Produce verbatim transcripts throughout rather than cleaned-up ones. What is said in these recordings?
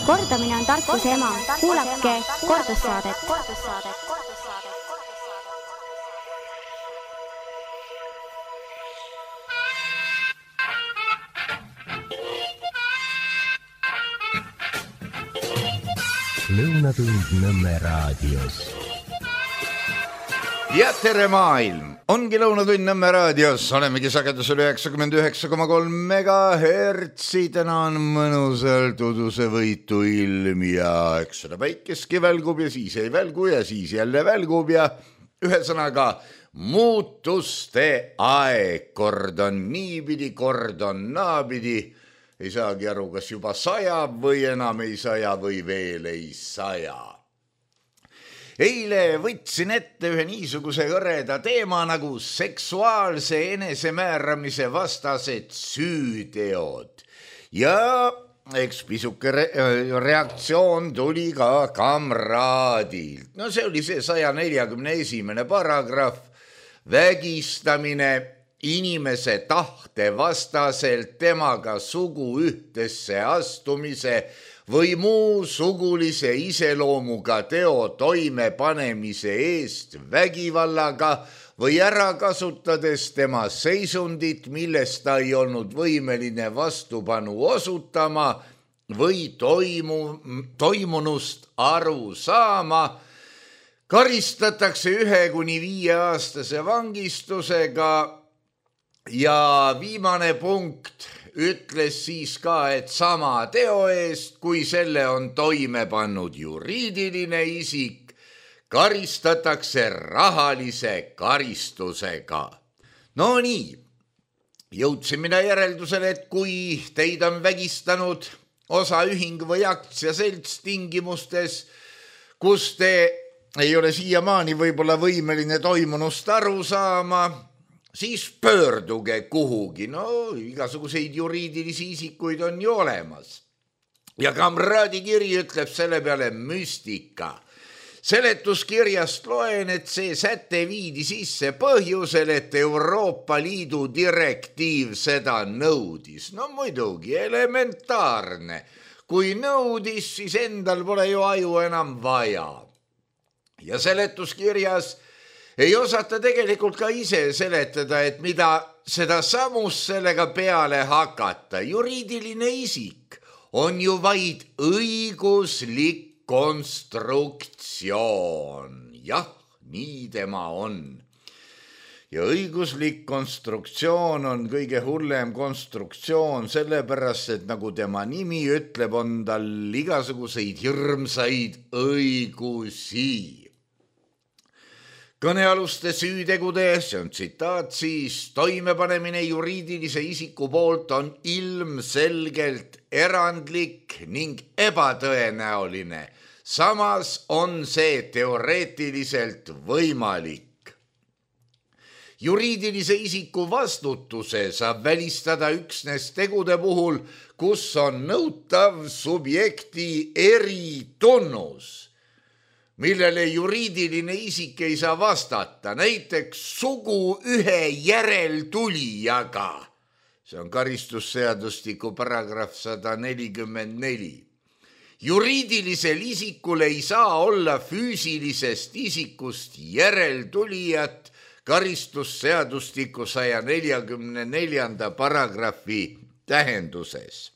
Kordamine on tarkuse ema. Kuulake kordussaadet. Lõunatund Nõmme raadios. Ja tere maailm! Ongi Lõunatund Nõmme raadios. Olemegi sagedusel üheksakümmend üheksa koma kolm megahertsi. Täna on mõnusalt uduse võitu ilm ja eks seda päikeski välgub ja siis ei välgu ja siis jälle välgub ja ühesõnaga muutuste aeg. Kord on niipidi, kord on naapidi. Ei saagi aru, kas juba sajab või enam ei saja või veel ei saja. Eile võtsin ette ühe niisuguse hõreda teema nagu seksuaalse enesemääramise vastased süüteod. Ja eks pisuke re- reaktsioon tuli ka kamraadilt. No see oli see saja neljakümne esimene paragrahv, vägistamine inimese tahte vastaselt temaga sugu ühtesse astumise või muu sugulise iseloomuga teo toimepanemise eest vägivallaga või ära kasutades tema seisundit, millest ta ei olnud võimeline vastupanu osutama või toimu, toimunust aru saama, karistatakse ühe kuni viie aastase vangistusega. Ja viimane punkt ütles siis ka, et sama teo eest, kui selle on toime pannud juriidiline isik, karistatakse rahalise karistusega. No nii, jõudsin mina järeldusele, et kui teid on vägistanud osaühing või aktsiaselts tingimustes, kus te ei ole siiamaani võib-olla võimeline toimunust aru saama, siis pöörduge kuhugi. No igasuguseid juriidilisi isikuid on ju olemas. Ja kamraadi kiri ütleb selle peale müstika. Seletuskirjast loen, et see säte viidi sisse põhjusel, et Euroopa Liidu direktiiv seda nõudis. No muidugi, elementaarne. Kui nõudis, siis endal pole ju aju enam vaja. Ja seletuskirjas ei osata tegelikult ka ise seletada, et mida seda samust sellega peale hakata. Juriidiline isik on ju vaid õiguslik konstruktsioon. Jah, nii tema on. Ja õiguslik konstruktsioon on kõige hullem konstruktsioon, sellepärast, et nagu tema nimi ütleb, on tal igasuguseid hirmsaid õigusi. Kõnealuste süütegude, see on tsitaat siis, toimepanemine juriidilise isiku poolt on ilmselgelt erandlik ning ebatõenäoline. Samas on see teoreetiliselt võimalik. Juriidilise isiku vastutuse saab välistada üksnes tegude puhul, kus on nõutav subjekti eritunnus, millele juriidiline isik ei saa vastata, näiteks sugu ühe järeltulijaga. See on karistusseadustiku paragrahv sada nelikümmend neli. Juriidilisel isikul ei saa olla füüsilisest isikust järeltulijat karistusseadustiku saja neljakümne neljanda paragrahvi tähenduses.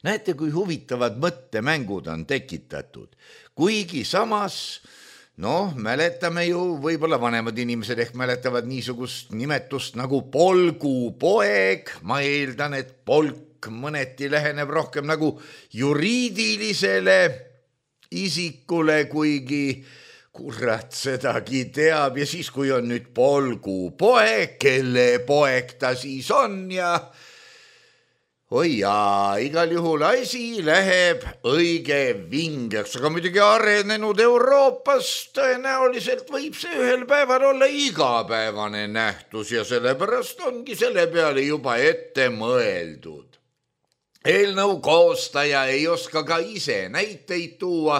Näete, kui huvitavad mõttemängud on tekitatud. Kuigi samas, noh, mäletame ju, võib-olla vanemad inimesed ehk mäletavad niisugust nimetust nagu polgupoeg. Ma eeldan, et polk mõneti läheneb rohkem nagu juriidilisele isikule, kuigi kurat sedagi teab. Ja siis, kui on nüüd polgupoeg, kelle poeg ta siis on ja oi jaa, igal juhul asi läheb õige vingeks, aga muidugi arenenud Euroopas tõenäoliselt võib see ühel päeval olla igapäevane nähtus ja sellepärast ongi selle peale juba ette mõeldud. Eelnõu koostaja ei oska ka ise näiteid tuua,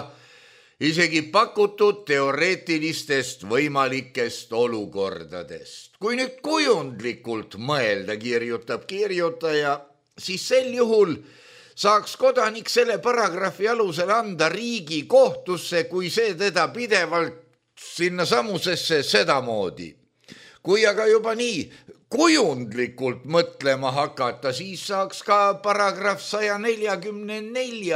isegi pakutud teoreetilistest võimalikest olukordadest. Kui nüüd kujundlikult mõelda, kirjutab kirjutaja, siis sel juhul saaks kodanik selle paragrahvi alusel anda riigi kohtusse, kui see teda pidevalt sinna samusesse sedamoodi. Kui aga juba nii kujundlikult mõtlema hakata, siis saaks ka paragrahv sada nelikümmend neli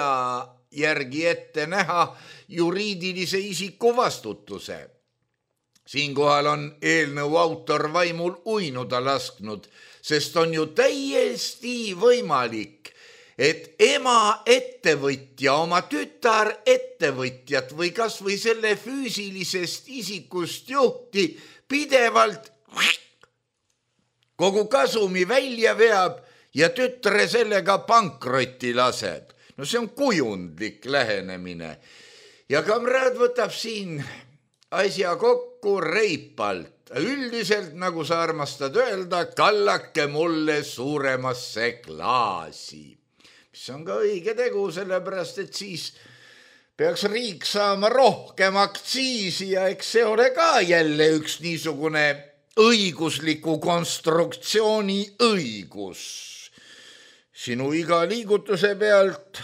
järgi ette näha juriidilise isiku vastutuse. Siinkohal on eelnõu autor vaimul uinuda lasknud, sest on ju täiesti võimalik, et ema ettevõtja oma tütar ettevõtjat või kas või selle füüsilisest isikust juhti pidevalt kogu kasumi välja veab ja tütre sellega pankrotti laseb. No see on kujundlik lähenemine. Ja kamraad võtab siin asja kokku reipalt. Üldiselt, nagu sa armastad öelda, kallake mulle suuremasse klaasi. Mis on ka õige tegu, sellepärast, et siis peaks riik saama rohkem aktsiisi ja eks see ole ka jälle üks niisugune õigusliku konstruktsiooni õigus. Sinu iga liigutuse pealt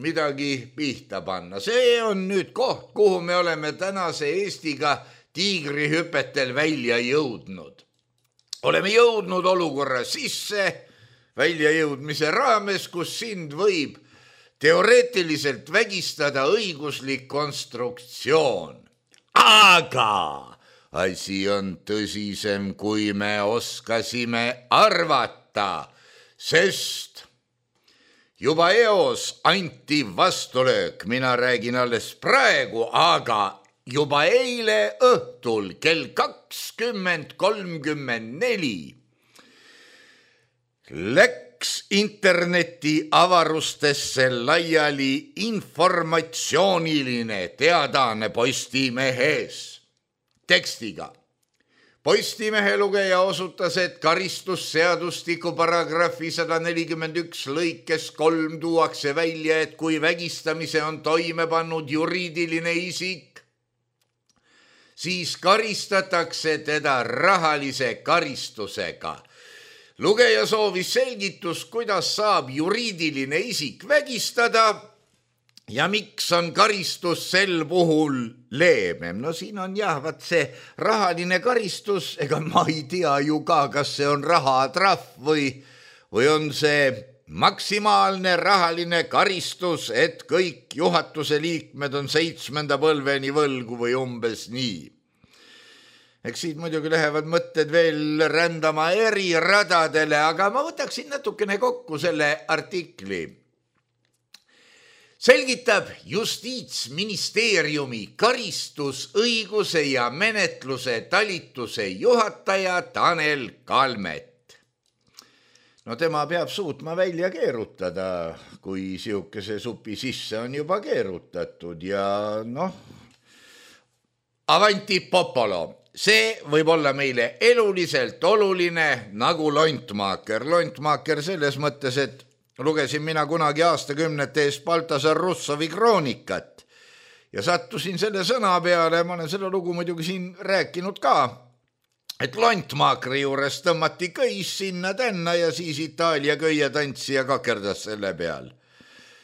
midagi pihta panna. See on nüüd koht, kuhu me oleme tänase Eestiga tiigrihüpetel välja jõudnud. Oleme jõudnud olukorra sisse väljajõudmise raames, kus sind võib teoreetiliselt vägistada õiguslik konstruktsioon. Aga asi on tõsisem, kui me oskasime arvata, sest juba eos anti vastulöök, mina räägin alles praegu, aga juba eile õhtul kell kakskümmend kolmkümmend neli läks interneti avarustesse laiali informatsiooniline teadaane Postimehes tekstiga. Postimehe lugeja osutas, et karistusseadustiku paragrahvi sada nelikümmend üks lõikes kolm tuuakse välja, et kui vägistamise on toime pannud juriidiline isik, siis karistatakse teda rahalise karistusega. Lugeja soovis selgitust, kuidas saab juriidiline isik vägistada ja miks on karistus sel puhul leebem. No siin on jah, vaat see rahaline karistus, ega ma ei tea ju ka, kas see on rahatrahv või, või on see maksimaalne rahaline karistus, et kõik juhatuse liikmed on seitsmenda põlveni võlgu või umbes nii. Eks siit muidugi lähevad mõtted veel rändama eri radadele, aga ma võtaksin natukene kokku selle artikli. Selgitab Justiitsministeeriumi karistusõiguse ja menetluse talituse juhataja Tanel Kalmet. No tema peab suutma välja keerutada, kui siukese supi sisse on juba keerutatud ja noh, avanti popolo. See võib olla meile eluliselt oluline nagu Lontmaaker. Lontmaaker selles mõttes, et lugesin mina kunagi aastakümnete eest Baltasar Russovi kroonikat ja sattusin selle sõna peale, ma olen selle lugu muidugi siin rääkinud ka, et Lontmaakri juures tõmmati köis sinna tänna ja siis Itaalia köietantsija kakerdas selle peal.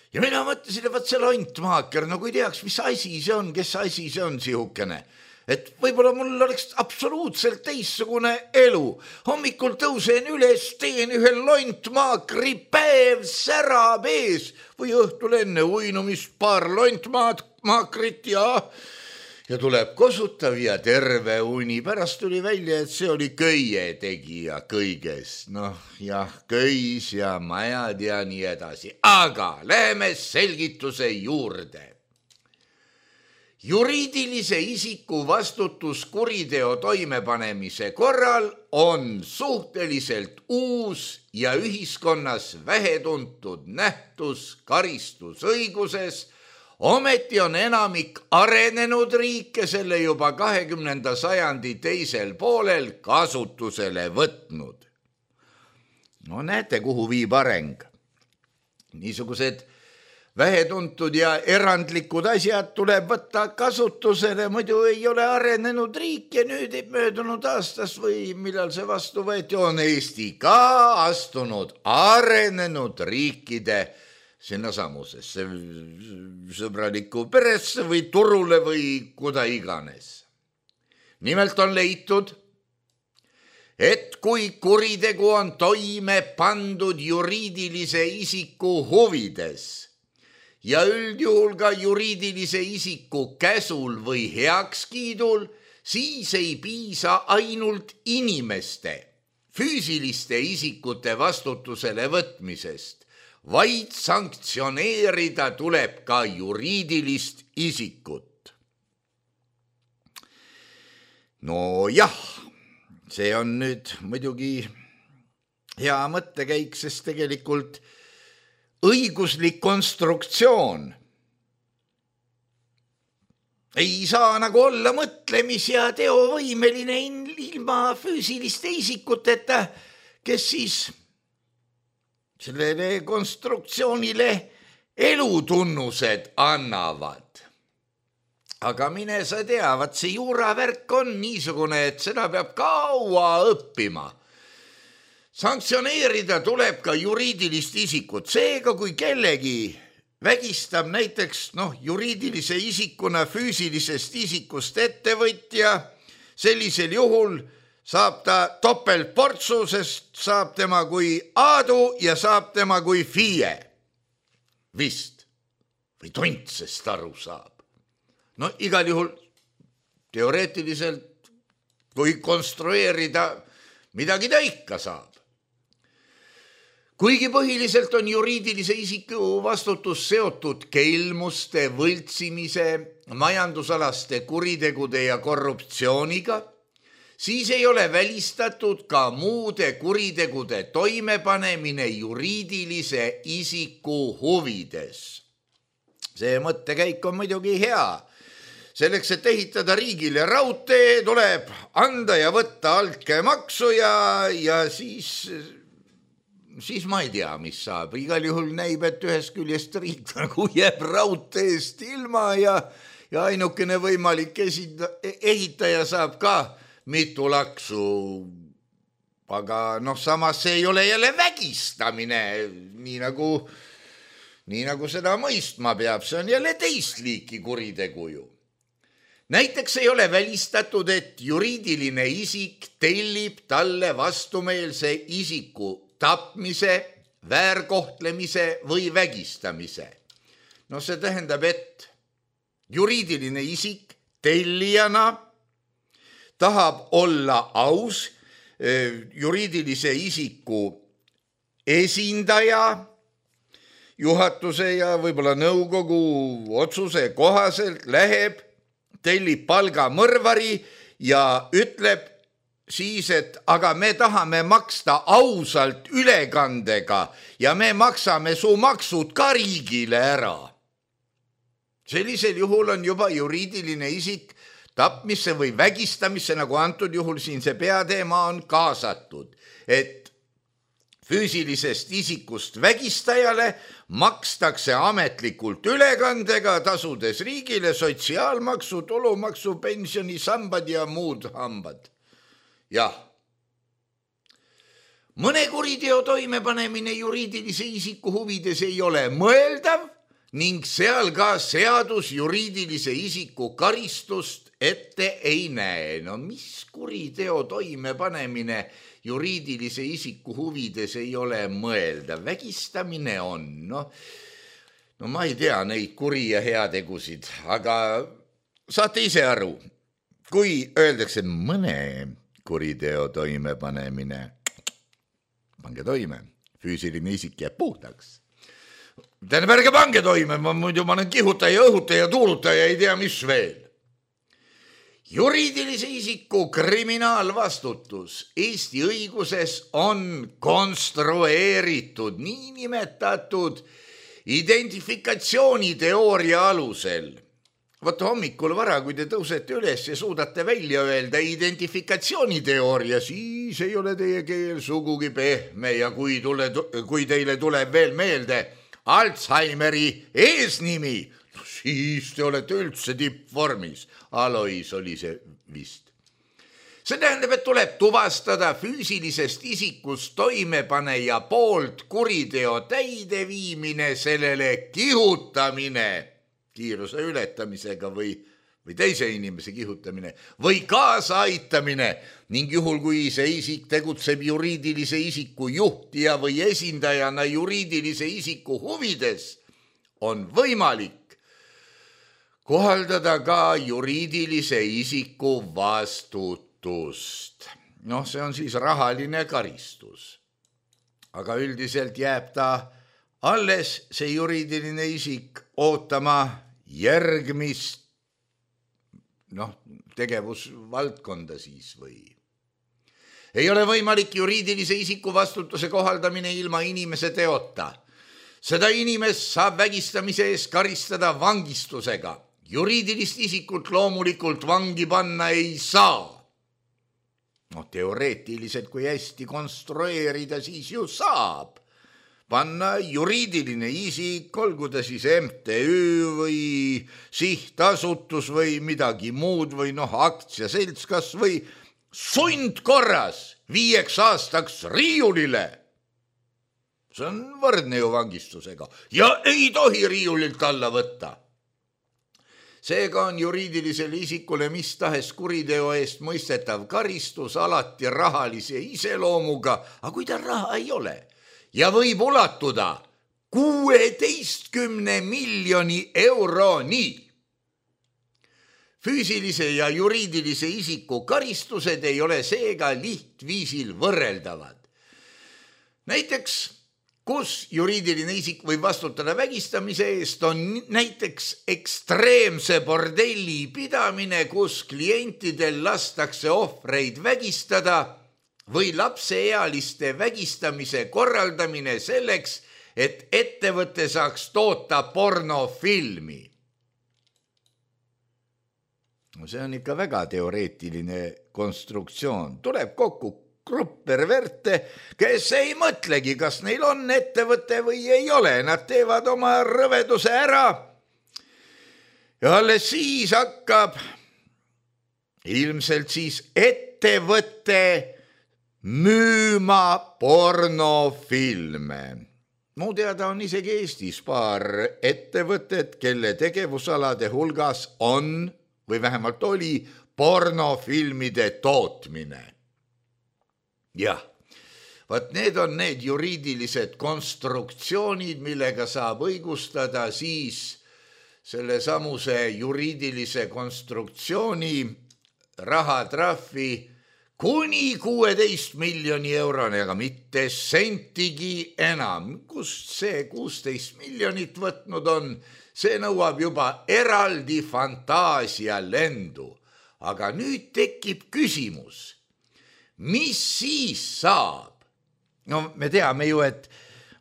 Ja mina mõtlesin, et võt see Lontmaaker, no kui teaks, mis asi see on, kes asi see on sihukene. Et võib-olla mul oleks absoluutselt teissugune elu. Hommikul tõusen üles, teen ühe Lontmaakri päev särab ees või õhtul enne uinumist paar Lontmaakrit ja, ja tuleb kosutav ja terve uni. Pärast tuli välja, et see oli köie tegija kõigest. Noh, jah, köis ja majad ja nii edasi. Aga läheme selgituse juurde. Juriidilise isiku vastutus kuriteo toimepanemise korral on suhteliselt uus ja ühiskonnas vähetuntud nähtus karistusõiguses. Ometi on enamik arenenud riike selle juba kahekümnenda sajandi teisel poolel kasutusele võtnud. No näete, kuhu viib areng. Niisugused vähetuntud ja erandlikud asjad tuleb võtta kasutusele, muidu ei ole arenenud riik ja nüüd möödunud aastas või millal see vastu võeti, on Eesti ka astunud arenenud riikide sinnasamusesse sõbralikku peresse või turule või kuda iganes. Nimelt on leitud, et kui kuritegu on toime pandud juriidilise isiku huvides ja üldjuhul ka juriidilise isiku käsul või heakskiidul, siis ei piisa ainult inimeste, füüsiliste isikute vastutusele võtmisest, vaid sanktsioneerida tuleb ka juriidilist isikut. No jah, see on nüüd muidugi hea mõttekäik, sest tegelikult õiguslik konstruktsioon ei saa nagu olla mõtlemis- ja teovõimeline ilma füüsiliste isikuteta, kes siis sellele konstruktsioonile elutunnused annavad. Aga mine sa tea, vaat see juuravärk on niisugune, et seda peab kaua õppima. Sanktsioneerida tuleb ka juriidilist isikut. Seega, kui kellegi vägistab näiteks noh, juriidilise isikuna füüsilisest isikust ettevõtja, sellisel juhul saab ta topeltportsu, sest saab tema kui Aadu ja saab tema kui FIE. Vist. Või tontsest aru saab. No igal juhul teoreetiliselt, kui konstrueerida, midagi ta ikka saab. Kuigi põhiliselt on juriidilise isiku vastutus seotud kelmuste, võltsimise, majandusalaste kuritegude ja korruptsiooniga, siis ei ole välistatud ka muude kuritegude toimepanemine juriidilise isiku huvides. See mõttekäik on muidugi hea. Selleks, et ehitada riigile raudtee, tuleb anda ja võtta altkäemaksu ja, ja siis, siis ma ei tea, mis saab. Igal juhul näib, et ühest küljest riik nagu jääb raudteest ilma ja, ja ainukene võimalik esinda, ehitaja saab ka mitu laksu. Aga noh, samas see ei ole jälle vägistamine, nii nagu, nii nagu seda mõistma peab. See on jälle teist liiki kuritegu ju. Näiteks ei ole välistatud, et juriidiline isik tellib talle vastumeelse isiku tapmise, väärkohtlemise või vägistamise. No see tähendab, et juriidiline isik tellijana tahab olla aus juriidilise isiku esindaja, juhatuse ja võib-olla nõukogu otsuse kohaselt läheb, tellib palgamõrvari ja ütleb siis, et aga me tahame maksta ausalt ülekandega ja me maksame su maksud ka riigile ära. Sellisel juhul on juba juriidiline isik tapmisse või vägistamisse, nagu antud juhul siin see peateema on kaasatud, et füüsilisest isikust vägistajale makstakse ametlikult ülekandega, tasudes riigile sotsiaalmaksu, tulumaksu, pensionisambad ja muud hambad. Jah. Mõne kuriteo toimepanemine juriidilise isiku huvides ei ole mõeldav ning seal ka seadus juriidilise isiku karistust ette ei näe. No mis kuriteo toimepanemine juriidilise isiku huvides ei ole mõeldav? Vägistamine on, no, no ma ei tea neid kuri- ja heategusid, aga saate ise aru, kui öeldakse mõne kuriteo toimepanemine, pange toime, füüsiline isik jääb puhtaks. Tähendab, ärge pange toime, ma muidu ma olen kihutaja, õhutaja, tuulutaja, ei tea mis veel. Juriidilise isiku kriminaalvastutus Eesti õiguses on konstrueeritud niinimetatud identifikatsiooniteooria alusel. Vaata hommikul vara, kui te tõusete üles ja suudate välja öelda identifikatsiooniteooria, siis ei ole teie keel sugugi pehme ja kui, tule, kui teile tuleb veel meelde Alzheimeri eesnimi, siis te olete üldse tippvormis. Alois oli see vist. See tähendab, et tuleb tuvastada füüsilisest isikust toimepaneja poolt kuriteo täideviimine, sellele kihutamine kiiruse ületamisega või, või teise inimese kihutamine või kaasaaitamine ning juhul, kui see isik tegutseb juriidilise isiku juhtija või esindajana juriidilise isiku huvides, on võimalik kohaldada ka juriidilise isiku vastutust. Noh, see on siis rahaline karistus. Aga üldiselt jääb ta alles see juriidiline isik ootama järgmist noh, tegevusvaldkonda siis või. Ei ole võimalik juriidilise isiku vastutuse kohaldamine ilma inimese teota. Seda inimest saab vägistamise eest karistada vangistusega. Juriidilist isikut loomulikult vangi panna ei saa. No teoreetiliselt, kui hästi konstrueerida, siis ju saab panna juriidiline isik, olgu ta siis M T Ü või sihtasutus või midagi muud või noh, aktsiaselts kas või sundkorras viieks aastaks riiulile. See on võrdne ju vangistusega ja ei tohi riiulilt alla võtta. Seega on juriidilisele isikule mis tahes kuriteo eest mõistetav karistus alati rahalise iseloomuga, aga kui ta raha ei ole ja võib ulatuda kuueteistkümne miljoni euroni. Füüsilise ja juriidilise isiku karistused ei ole seega lihtviisil võrreldavad. Näiteks kus juriidiline isik võib vastutada vägistamise eest, on näiteks ekstreemse bordelli pidamine, kus klientidel lastakse ohvreid vägistada või lapseealiste vägistamise korraldamine selleks, et ettevõte saaks toota pornofilmi. No see on ikka väga teoreetiline konstruktsioon. Tuleb kokku grupp perverte, kes ei mõtlegi, kas neil on ettevõte või ei ole. Nad teevad oma rõveduse ära ja alles siis hakkab ilmselt siis ettevõte müüma pornofilme. Mu teada on isegi Eestis paar ettevõtet, kelle tegevusalade hulgas on või vähemalt oli pornofilmide tootmine. Jah, vaat need on need juriidilised konstruktsioonid, millega saab õigustada siis selle samuse juriidilise konstruktsiooni rahatrahvi kuni kuueteist miljoni euroni, aga mitte sentigi enam. Kust see kuusteist miljonit võtnud on, see nõuab juba eraldi fantaasia lendu. Aga nüüd tekib küsimus, mis siis saab? No me teame ju, et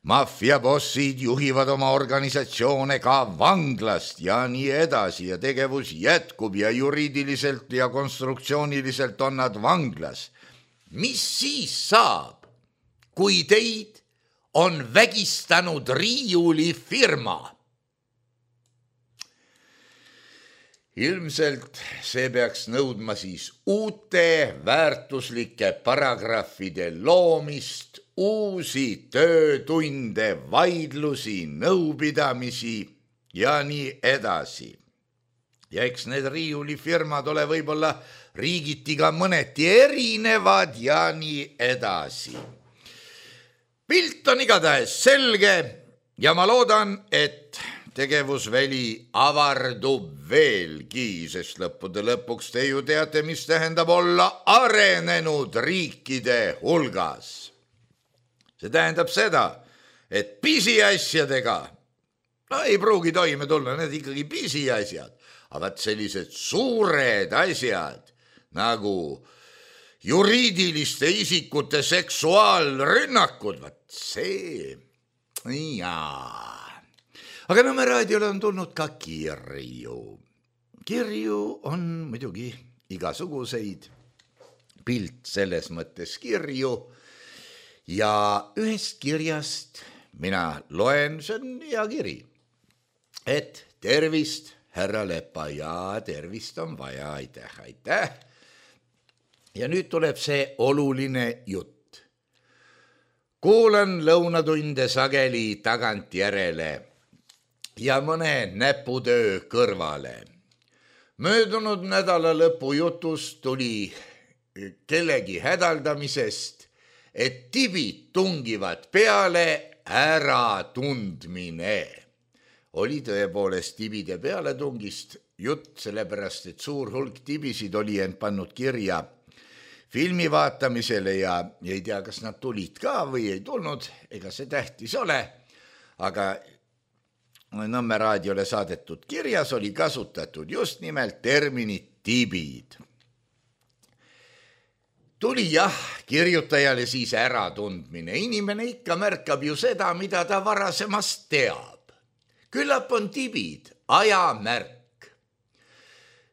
maffiabossid juhivad oma organisatsioone ka vanglast ja nii edasi ja tegevus jätkub ja juriidiliselt ja konstruktsiooniliselt on nad vanglas. Mis siis saab, kui teid on vägistanud riiulifirma? Ilmselt see peaks nõudma siis uute väärtuslike paragrahvide loomist, uusi töötunde, vaidlusi, nõupidamisi ja nii edasi. Ja eks need riiulifirmad ole võib-olla riigiti ka mõneti erinevad ja nii edasi. Pilt on igatahes selge ja ma loodan, et tegevusväli avardub veelgi, sest lõppude lõpuks te ju teate, mis tähendab olla arenenud riikide hulgas. See tähendab seda, et pisiasjadega no, ei pruugi toime tulla, need ikkagi pisiasjad, aga sellised suured asjad nagu juriidiliste isikute seksuaalrünnakud, vaat see, jaa. Aga Nõmme raadiole on tulnud ka kirju. Kirju on muidugi igasuguseid, pilt selles mõttes kirju ja ühest kirjast mina loen, see on hea kiri, et tervist, härra Lepa, ja tervist on vaja, aitäh, aitäh. ja nüüd tuleb see oluline jutt. Kuulan lõunatunde sageli tagantjärele ja mõne näputöö kõrvale. Möödunud nädala lõpu jutust tuli kellegi hädaldamisest, et tibid tungivad peale äratundmine. Oli tõepoolest tibide pealetungist jutt, sellepärast et suur hulk tibisid oli end pannud kirja filmi vaatamisele ja ei tea, kas nad tulid ka või ei tulnud, ega see tähtis ole, aga Nõmme raadiole saadetud kirjas oli kasutatud just nimelt terminit tibid. Tuli jah, kirjutajale siis äratundmine. Inimene ikka märkab ju seda, mida ta varasemast teab. Küllap on tibid ajamärk.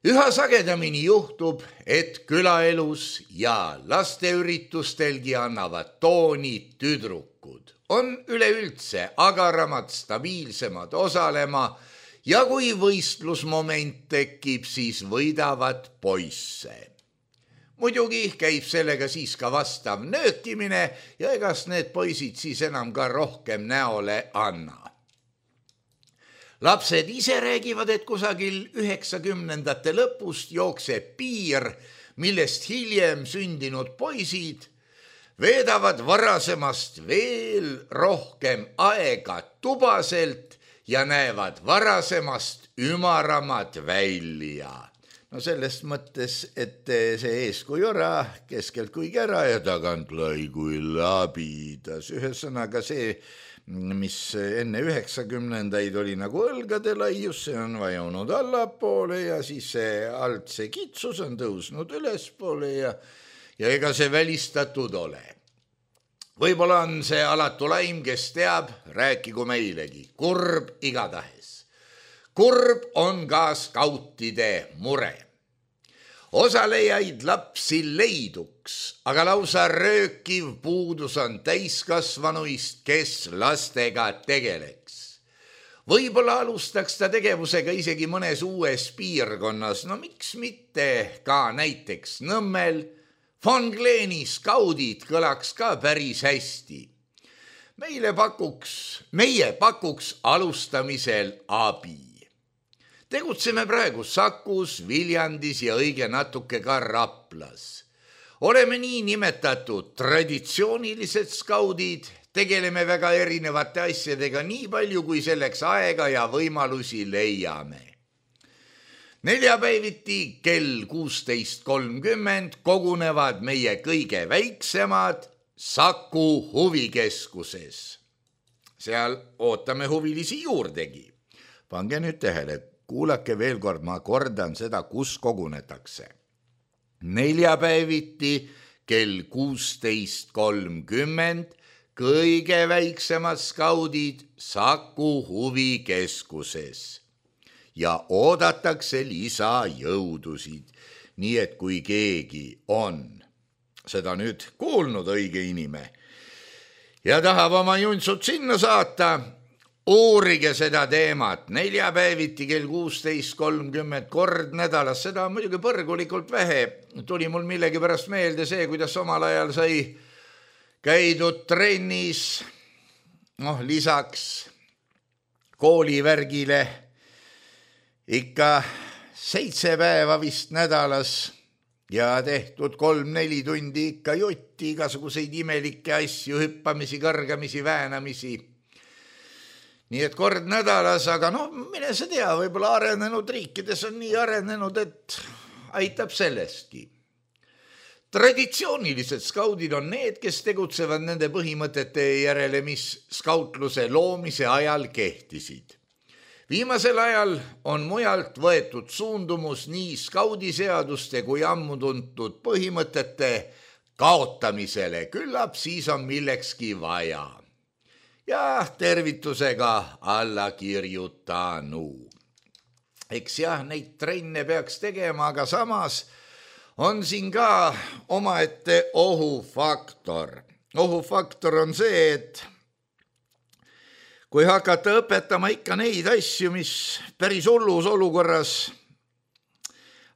Üha sagedamini juhtub, et külaelus ja lasteüritustelgi annavad tooni tüdrukud. On üleüldse agaramad, stabiilsemad osalema ja kui võistlusmoment tekib, siis võidavad poisse. Muidugi käib sellega siis ka vastav nöökimine ja egas need poisid siis enam ka rohkem näole anna. Lapsed ise räägivad, et kusagil üheksakümnendate lõpust jookseb piir, millest hiljem sündinud poisid veedavad varasemast veel rohkem aega tubaselt ja näevad varasemast ümaramad välja. No sellest mõttes, et see eeskuju ära, keskelt kui kära ja tagant lai kui labidas. Ühesõnaga see, mis enne üheksakümnendaid oli nagu õlgade laius, see on vajunud allapoole ja siis see alt see kitsus on tõusnud ülespoole ja ja ega see välistatud ole. Võib-olla on see alatu laim, kes teab, rääkigu meilegi. Kurb igatahes. Kurb on ka skautide mure. Osalejaid lapsi leiduks, aga lausa röökiv puudus on täiskasvanuist, kes lastega tegeleks. Võib-olla alustaks ta tegevusega isegi mõnes uues piirkonnas, no miks mitte ka näiteks Nõmmel. Von Gleeni skaudid kõlaks ka päris hästi. Meile pakuks, meie pakuks alustamisel abi. Tegutseme praegu Sakus, Viljandis ja õige natuke ka Raplas. Oleme nii nimetatud traditsioonilised skaudid, tegeleme väga erinevate asjadega nii palju, kui selleks aega ja võimalusi leiame. Neljapäeviti kell kuusteist kolmkümmend kogunevad meie kõige väiksemad Saku huvikeskuses. Seal ootame huvilisi juurdegi. Pange nüüd tähele, kuulake veel kord, ma kordan seda, kus kogunetakse. Neljapäeviti kell kuusteist kolmkümmend kõige väiksemad skaudid Saku huvikeskuses. Ja oodatakse lisajõudusid, nii et kui keegi on seda nüüd kuulnud õige inime ja tahab oma juntsud sinna saata, uurige seda teemat. Neljapäeviti kell kuusteist kolmkümmend kord nädalas, seda on muidugi põrgulikult vähe. Tuli mul millegi pärast meelde see, kuidas omal ajal sai käidud trennis, noh lisaks koolivärgile ikka seitse päeva vist nädalas ja tehtud kolm-neli tundi ikka jutti, igasuguseid imelikke asju, hüppamisi, kõrgamisi, väänamisi. Nii et kord nädalas, aga noh, mine sa tea, võib-olla arenenud riikides on nii arenenud, et aitab sellestki. Traditsioonilised skaudid on need, kes tegutsevad nende põhimõtete järele, mis skautluse loomise ajal kehtisid. Viimasel ajal on mujalt võetud suundumus nii skaudiseaduste kui ammu tuntud põhimõtete kaotamisele. Küllap siis on millekski vaja. Ja tervitusega alla kirjutanu. Eks jah, neid trenne peaks tegema, aga samas on siin ka omaette ohufaktor. Ohufaktor on see, et kui hakata õpetama ikka neid asju, mis päris hullus olukorras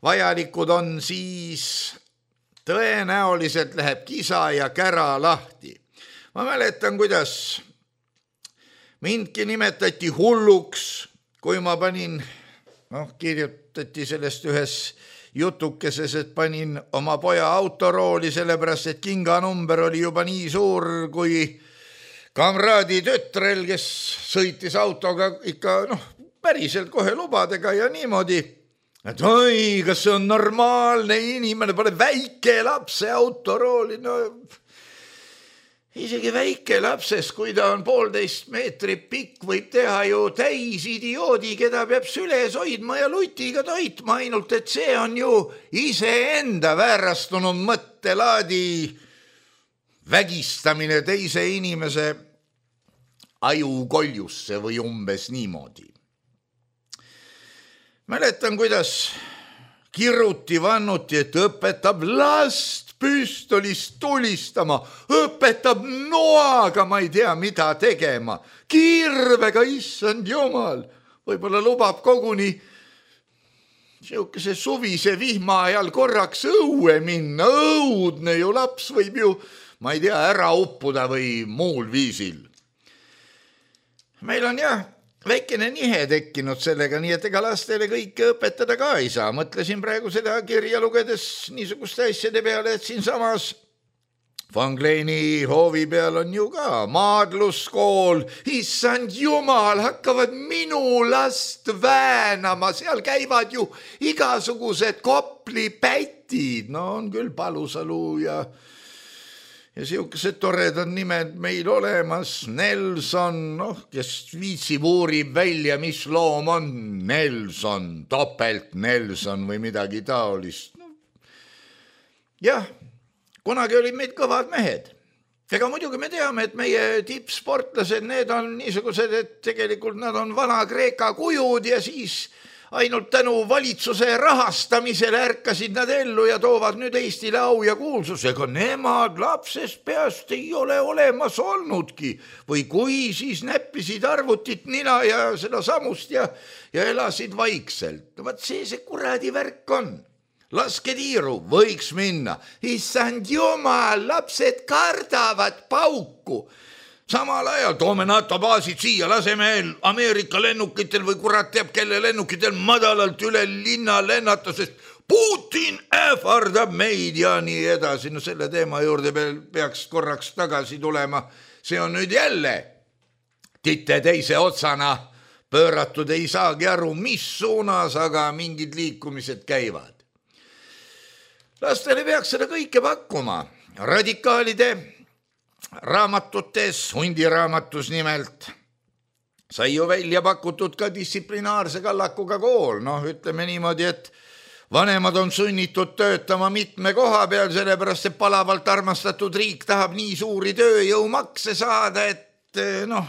vajalikud on, siis tõenäoliselt läheb kisa ja kära lahti. Ma mäletan, kuidas mindki nimetati hulluks, kui ma panin, noh, kirjutati sellest ühes jutukeses, et panin oma poja autorooli, sellepärast, et kinganumber oli juba nii suur kui kamraadi tütrel, kes sõitis autoga ikka, noh, päriselt kohe lubadega ja niimoodi, et oi, kas see on normaalne inimene, pole väike lapse autorooli, no isegi väike lapses, kui ta on poolteist meetrit pikk, võib teha ju täis idioodi, keda peab süles hoidma ja lutiga toitma, ainult et see on ju iseenda väärastunud mõttelaadi vägistamine teise inimese ajukoljusse või umbes niimoodi. Mäletan, kuidas kiruti vannuti, et õpetab last püstolist tulistama, õpetab noaga, ma ei tea, mida tegema, kirvega, issand jumal, võib-olla lubab koguni siukese suvise vihma ajal korraks õue minna, õudne ju laps võib ju, ma ei tea, ära uppuda või muul viisil. Meil on jah, väikene nihe tekkinud sellega, nii et ega lastele kõike õpetada ka ei saa. Mõtlesin praegu seda kirja lugedes niisuguste asjade peale, et siin samas Van Kleini hoovi peal on ju ka maadluskool. Issand jumal, hakkavad minu last väänama, seal käivad ju igasugused koplipätid. No on küll Palusalu ja Ja siukesed toredad nimed meil olemas, Nelson, noh, kes viitsib uurib välja, mis loom on Nelson, topelt Nelson või midagi taolist. No. Jah, kunagi olid meid kõvad mehed. Ega muidugi me teame, et meie tippsportlased, need on niisugused, et tegelikult nad on vana Kreeka kujud ja siis ainult tänu valitsuse rahastamisele ärkasid nad ellu ja toovad nüüd Eestile au ja kuulsus. Ega nemad lapsest peast ei ole olemas olnudki. Või kui, siis näppisid arvutit nina ja seda samust ja, ja elasid vaikselt. No vaat see see kuradi värk on. Laske tiiru, võiks minna. Issand jumal, lapsed kardavad pauku. Samal ajal toome NATO baasid siia, laseme Ameerika lennukitel või kurat teab kelle lennukitel madalalt üle linna lennata, sest Putin ähvardab meid ja nii edasi. No selle teema juurde peaks korraks tagasi tulema. See on nüüd jälle titte teise otsana pööratud, ei saagi aru, mis suunas, aga mingid liikumised käivad. Lastele peaks seda kõike pakkuma. Radikaalide raamatutes, hundiraamatus nimelt, sai ju välja pakutud ka distsiplinaarse kallakuga kool. Noh, ütleme niimoodi, et vanemad on sunnitud töötama mitme koha peal, sellepärast et palavalt armastatud riik tahab nii suuri tööjõumakse saada, et noh,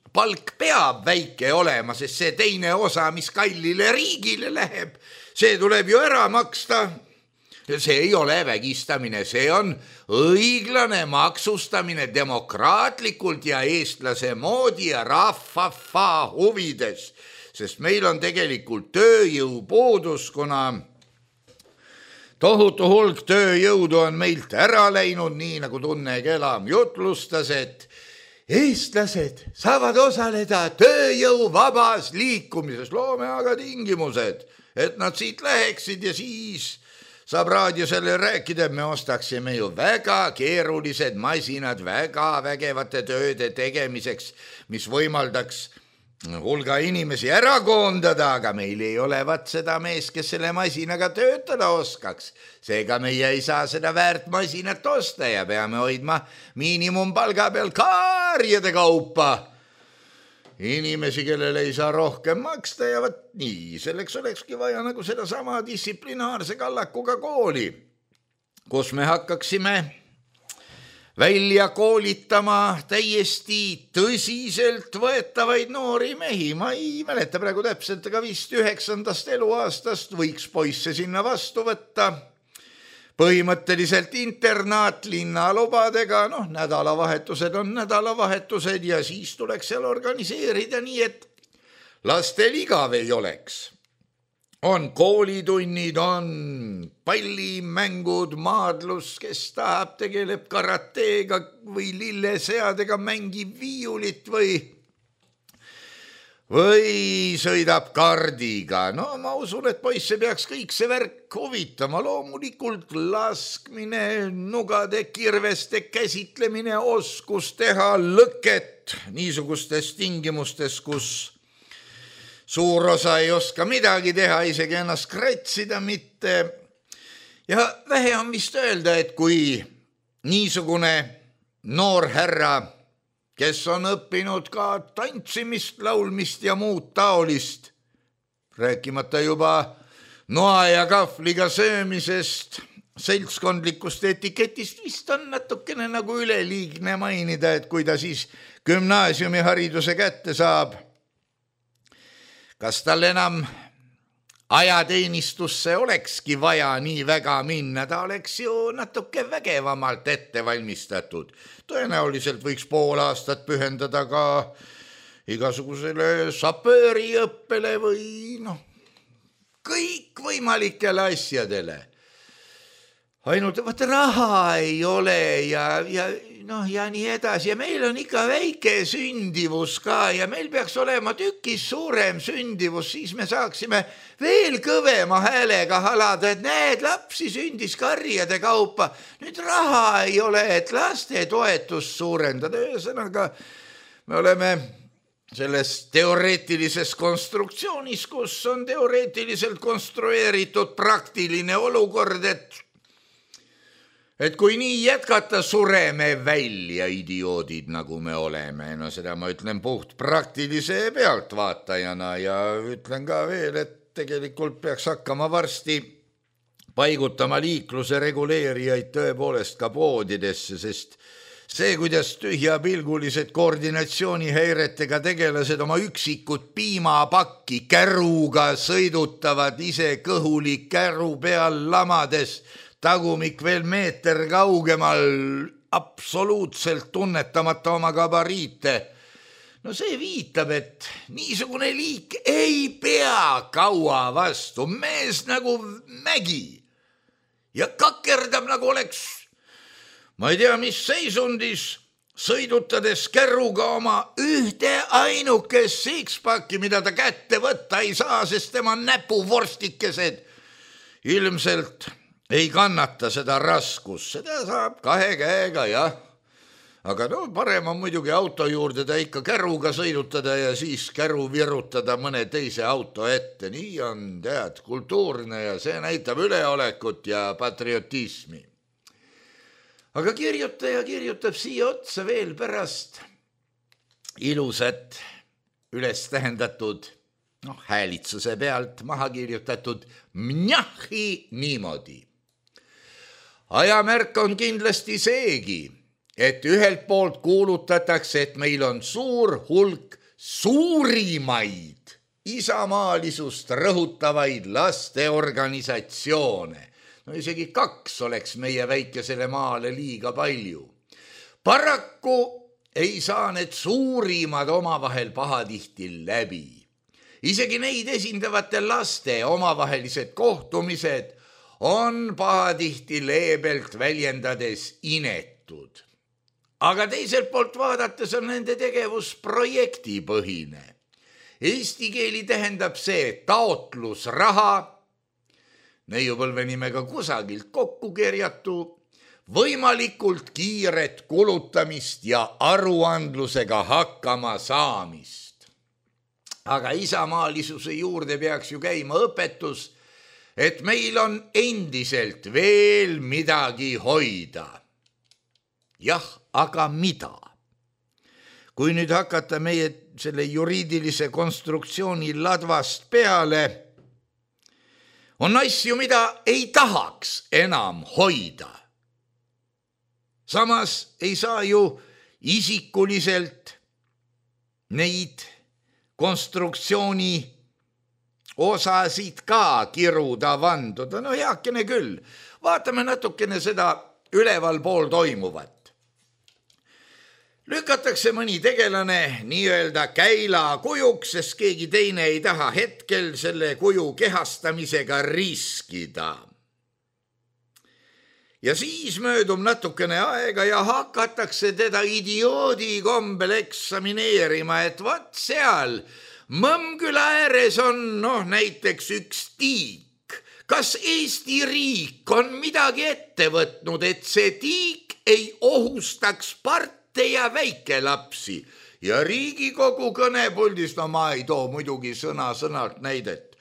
palk peab väike olema, sest see teine osa, mis kallile riigile läheb, see tuleb ju ära maksta. See ei ole vägistamine, see on õiglane maksustamine demokraatlikult ja eestlase moodi ja rahvafa huvides, sest meil on tegelikult tööjõupuudus, kuna tohutu hulk tööjõudu on meilt ära läinud, nii nagu Tunne Kelam jutlustas, et eestlased saavad osaleda tööjõu vabas liikumises, loome aga tingimused, et nad siit läheksid ja siis saab raadio selle rääkida, et me ostaksime ju väga keerulised masinad väga vägevate tööde tegemiseks, mis võimaldaks hulga inimesi ära koondada, aga meil ei ole vat seda mees, kes selle masinaga töötada oskaks. Seega meie ei saa seda väärt masinat osta ja peame hoidma miinimumpalga peal kaarjade kaupa inimesi, kellele ei saa rohkem maksta ja vat nii, selleks olekski vaja nagu seda sama distsiplinaarse kallakuga kooli, kus me hakkaksime välja koolitama täiesti tõsiselt võetavaid noori mehi. Ma ei mäleta praegu täpselt, aga vist üheksandast eluaastast võiks poisse sinna vastu võtta. Põhimõtteliselt internaat linnalubadega, noh, nädalavahetused on nädalavahetused ja siis tuleks seal organiseerida nii, et lastel igav ei oleks. on koolitunnid, on pallimängud, maadlus, kes tahab, tegeleb karateega või lilleseadega, mängib viiulit või või sõidab kardiga. No ma usun, et poisse peaks kõik see värk huvitama. Loomulikult laskmine, nugade, kirveste käsitlemine, oskus teha lõket niisugustes tingimustes, kus suur osa ei oska midagi teha, isegi ennast kratsida mitte. Ja vähe on vist öelda, et kui niisugune noor härra, kes on õppinud ka tantsimist, laulmist ja muud taolist, rääkimata juba noa ja kahvliga söömisest, seltskondlikust etiketist, vist on natukene nagu üleliigne mainida, et kui ta siis gümnaasiumihariduse kätte saab, kas tal enam ajateenistusse olekski vaja nii väga minna, ta oleks ju natuke vägevamalt ette valmistatud. Tõenäoliselt võiks pool aastat pühendada ka igasugusele sapööriõppele või noh, kõikvõimalikele asjadele. Ainult vaat raha ei ole ja, ja noh, ja nii edasi. Ja meil on ikka väike sündivus ka ja meil peaks olema tükis suurem sündivus, siis me saaksime veel kõvema häälega halada, et näed, lapsi sündis karjade kaupa. Nüüd raha ei ole, et laste toetust suurendada. Ühesõnaga, me oleme selles teoreetilises konstruktsioonis, kus on teoreetiliselt konstrueeritud praktiline olukord, et Et kui nii jätkata, sureme välja idioodid, nagu me oleme. No seda ma ütlen puht praktilise pealtvaatajana ja ütlen ka veel, et tegelikult peaks hakkama varsti paigutama liikluse reguleerijaid tõepoolest ka poodidesse, sest see, kuidas tühjapilgulised koordinatsioonihäiretega tegelased oma üksikut piimapakki käruga sõidutavad ise kõhulik käru peal lamades, tagumik veel meeter kaugemal, absoluutselt tunnetamata oma gabariite. No see viitab, et niisugune liik ei pea kaua vastu, mees nagu mägi ja kakerdab nagu oleks, ma ei tea, mis seisundis, sõidutades käruga oma ühte ainukest sixpacki, mida ta kätte võtta ei saa, sest tema näpuvorstikesed ilmselt ei kannata seda raskus, seda saab kahe käega, jah. Aga no parem on muidugi auto juurde ta ikka käruga sõidutada ja siis käru virutada mõne teise auto ette. Nii on, tead, kultuurne ja see näitab üleolekut ja patriotismi. Aga kirjutaja kirjutab siia otsa veel pärast ilusat üles tähendatud, noh, häälitsuse pealt maha kirjutatud mnjahi niimoodi. Ajamärk on kindlasti seegi, et ühelt poolt kuulutatakse, et meil on suur hulk suurimaid isamaalisust rõhutavaid lasteorganisatsioone. No isegi kaks oleks meie väikesele maale liiga palju. Paraku ei saa need suurimad omavahel pahatihti läbi. Isegi neid esindavate laste omavahelised kohtumised on pahatihti leebelt väljendades inetud. Aga teiselt poolt vaadates on nende tegevus projektipõhine. Eesti keeli tähendab see taotlusraha, neiupõlve nimega kusagilt kokku kerjatu, võimalikult kiiret kulutamist ja aruandlusega hakkama saamist. Aga isamaalisuse juurde peaks ju käima õpetus, et meil on endiselt veel midagi hoida. Jah, aga mida? Kui nüüd hakata meie selle juriidilise konstruktsiooni ladvast peale, on asju, mida ei tahaks enam hoida. Samas ei saa ju isikuliselt neid konstruktsiooni osasid ka kiruda vanduda. No heakene küll, vaatame natukene seda üleval pool toimuvat. lükatakse mõni tegelane nii-öelda käila kujuks, sest keegi teine ei taha hetkel selle kuju kehastamisega riskida. Ja siis möödub natukene aega ja hakatakse teda idioodi kombel eksamineerima, et vat seal Mõmmküla ääres on noh näiteks üks tiik. Kas Eesti riik on midagi ette võtnud, et see tiik ei ohustaks parte ja väikelapsi? Ja Riigikogu kõnepuldist, no ma ei too muidugi sõna sõnalt näidet,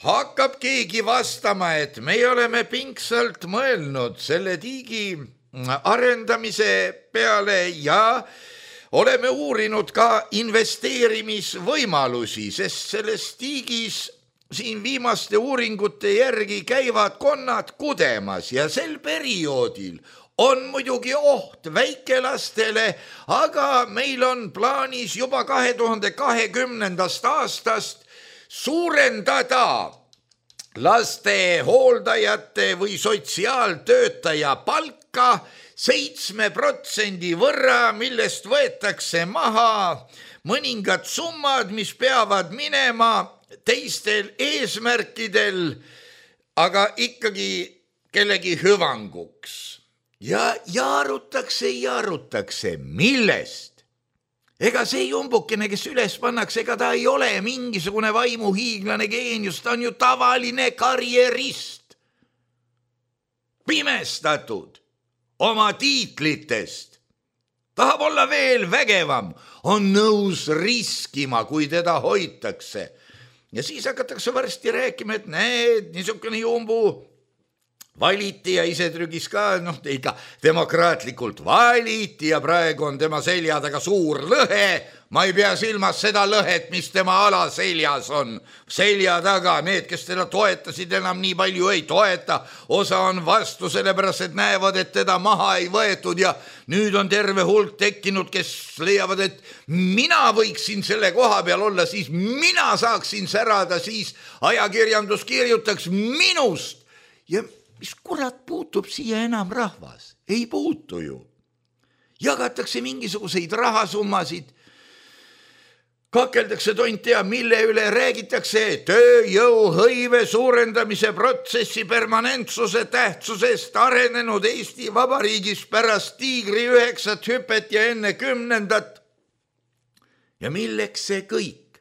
hakkab keegi vastama, et me oleme pingsalt mõelnud selle tiigi arendamise peale ja oleme uurinud ka investeerimisvõimalusi, sest selles tiigis siin viimaste uuringute järgi käivad konnad kudemas ja sel perioodil on muidugi oht väikelastele, aga meil on plaanis juba kahe tuhande kahekümnendast aastast suurendada laste hooldajate või sotsiaaltöötaja palka seitsme protsendi võrra, millest võetakse maha mõningad summad, mis peavad minema teistel eesmärkidel, aga ikkagi kellegi hüvanguks. Ja jaarutakse, jaarutakse, millest? Ega see jumbukene, kes üles pannakse, ega ta ei ole mingisugune vaimuhiiglane geenius, ta on ju tavaline karjerist. Pimestatud oma tiitlitest. Tahab olla veel vägevam, on nõus riskima, kui teda hoitakse. Ja siis hakatakse varsti rääkima, et näed, niisugune jumbu valiti ja ise trügis ka, noh, ikka demokraatlikult valiti ja praegu on tema selja taga suur lõhe. Ma ei pea silmas seda lõhet, mis tema alaseljas on. Selja taga, need, kes teda toetasid, enam nii palju ei toeta. Osa on vastu sellepärast, et näevad, et teda maha ei võetud ja nüüd on terve hulk tekkinud, kes leiavad, et mina võiksin selle koha peal olla, siis mina saaksin särada, siis ajakirjandus kirjutaks minust. Ja mis kurat puutub siia enam rahvas? Ei puutu ju. Jagatakse mingisuguseid rahasummasid, kakeldakse tont tea, mille üle räägitakse tööjõuhõive suurendamise protsessi permanentsuse tähtsusest arenenud Eesti Vabariigis pärast tiigri üheksat hüpet ja enne kümnendat. Ja milleks see kõik?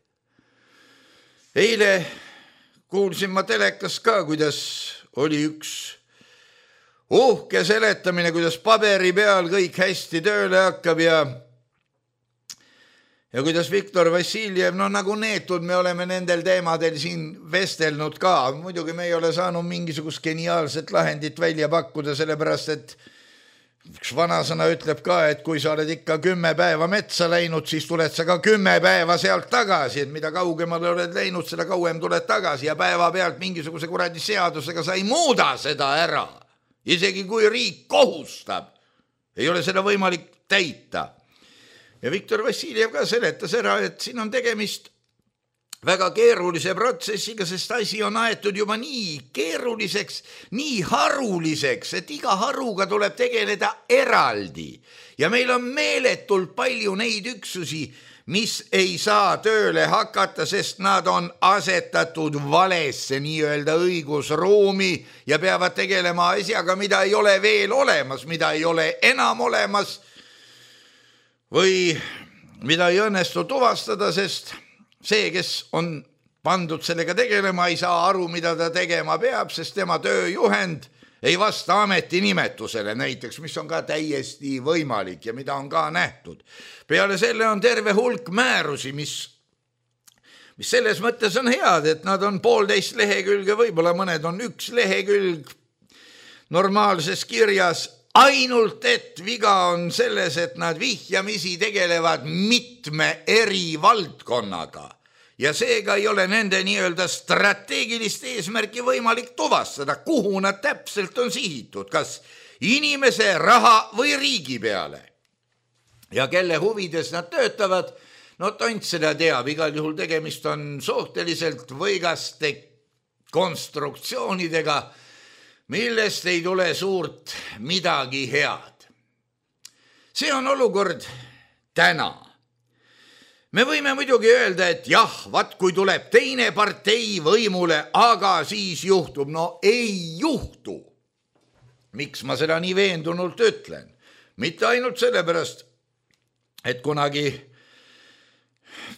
Eile kuulsin ma telekas ka, kuidas oli üks uhke seletamine, kuidas paberi peal kõik hästi tööle hakkab ja ja kuidas Viktor Vassiljev, no nagu neetud, me oleme nendel teemadel siin vestelnud ka. Muidugi me ei ole saanud mingisugust geniaalset lahendit välja pakkuda, sellepärast et üks vanasõna ütleb ka, et kui sa oled ikka kümme päeva metsa läinud, siis tuled sa ka kümme päeva sealt tagasi, et mida kaugemale oled läinud, seda kauem tuled tagasi ja päeva pealt mingisuguse kuradi seadusega sa ei muuda seda ära. Isegi kui riik kohustab, ei ole seda võimalik täita. Ja Viktor Vassiljev ka seletas ära, et siin on tegemist väga keerulise protsessiga, sest asi on aetud juba nii keeruliseks, nii haruliseks, et iga haruga tuleb tegeleda eraldi. Ja meil on meeletult palju neid üksusi, mis ei saa tööle hakata, sest nad on asetatud valesse nii-öelda õigusruumi ja peavad tegelema asjaga, mida ei ole veel olemas, mida ei ole enam olemas või mida ei õnnestu tuvastada, sest see, kes on pandud sellega tegelema, ei saa aru, mida ta tegema peab, sest tema tööjuhend ei vasta ametinimetusele näiteks, mis on ka täiesti võimalik ja mida on ka nähtud. Peale selle on terve hulk määrusi, mis, mis selles mõttes on head, et nad on poolteist lehekülge, võib-olla mõned on üks lehekülg normaalses kirjas, ainult et viga on selles, et nad vihjamisi tegelevad mitme eri valdkonnaga ja seega ei ole nende nii-öelda strateegilist eesmärki võimalik tuvastada, kuhu nad täpselt on sihitud, kas inimese, raha või riigi peale. Ja kelle huvides nad töötavad, no tont seda teab, igal juhul tegemist on suhteliselt võigaste konstruktsioonidega, millest ei tule suurt midagi head. See on olukord täna. Me võime muidugi öelda, et jah, vaat kui tuleb teine partei võimule, aga siis juhtub. No ei juhtu. Miks ma seda nii veendunult ütlen? Mitte ainult sellepärast, et kunagi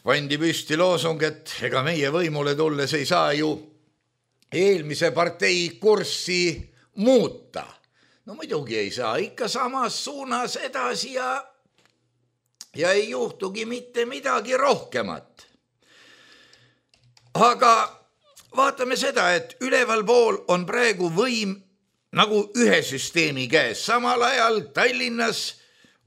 pandi püsti loosung, et ega meie võimule tulles ei saa ju eelmise partei kurssi muuta. No muidugi ei saa, ikka samas suunas edasi ja ja ei juhtugi mitte midagi rohkemat. Aga vaatame seda, et üleval pool on praegu võim nagu ühe süsteemi käes. Samal ajal Tallinnas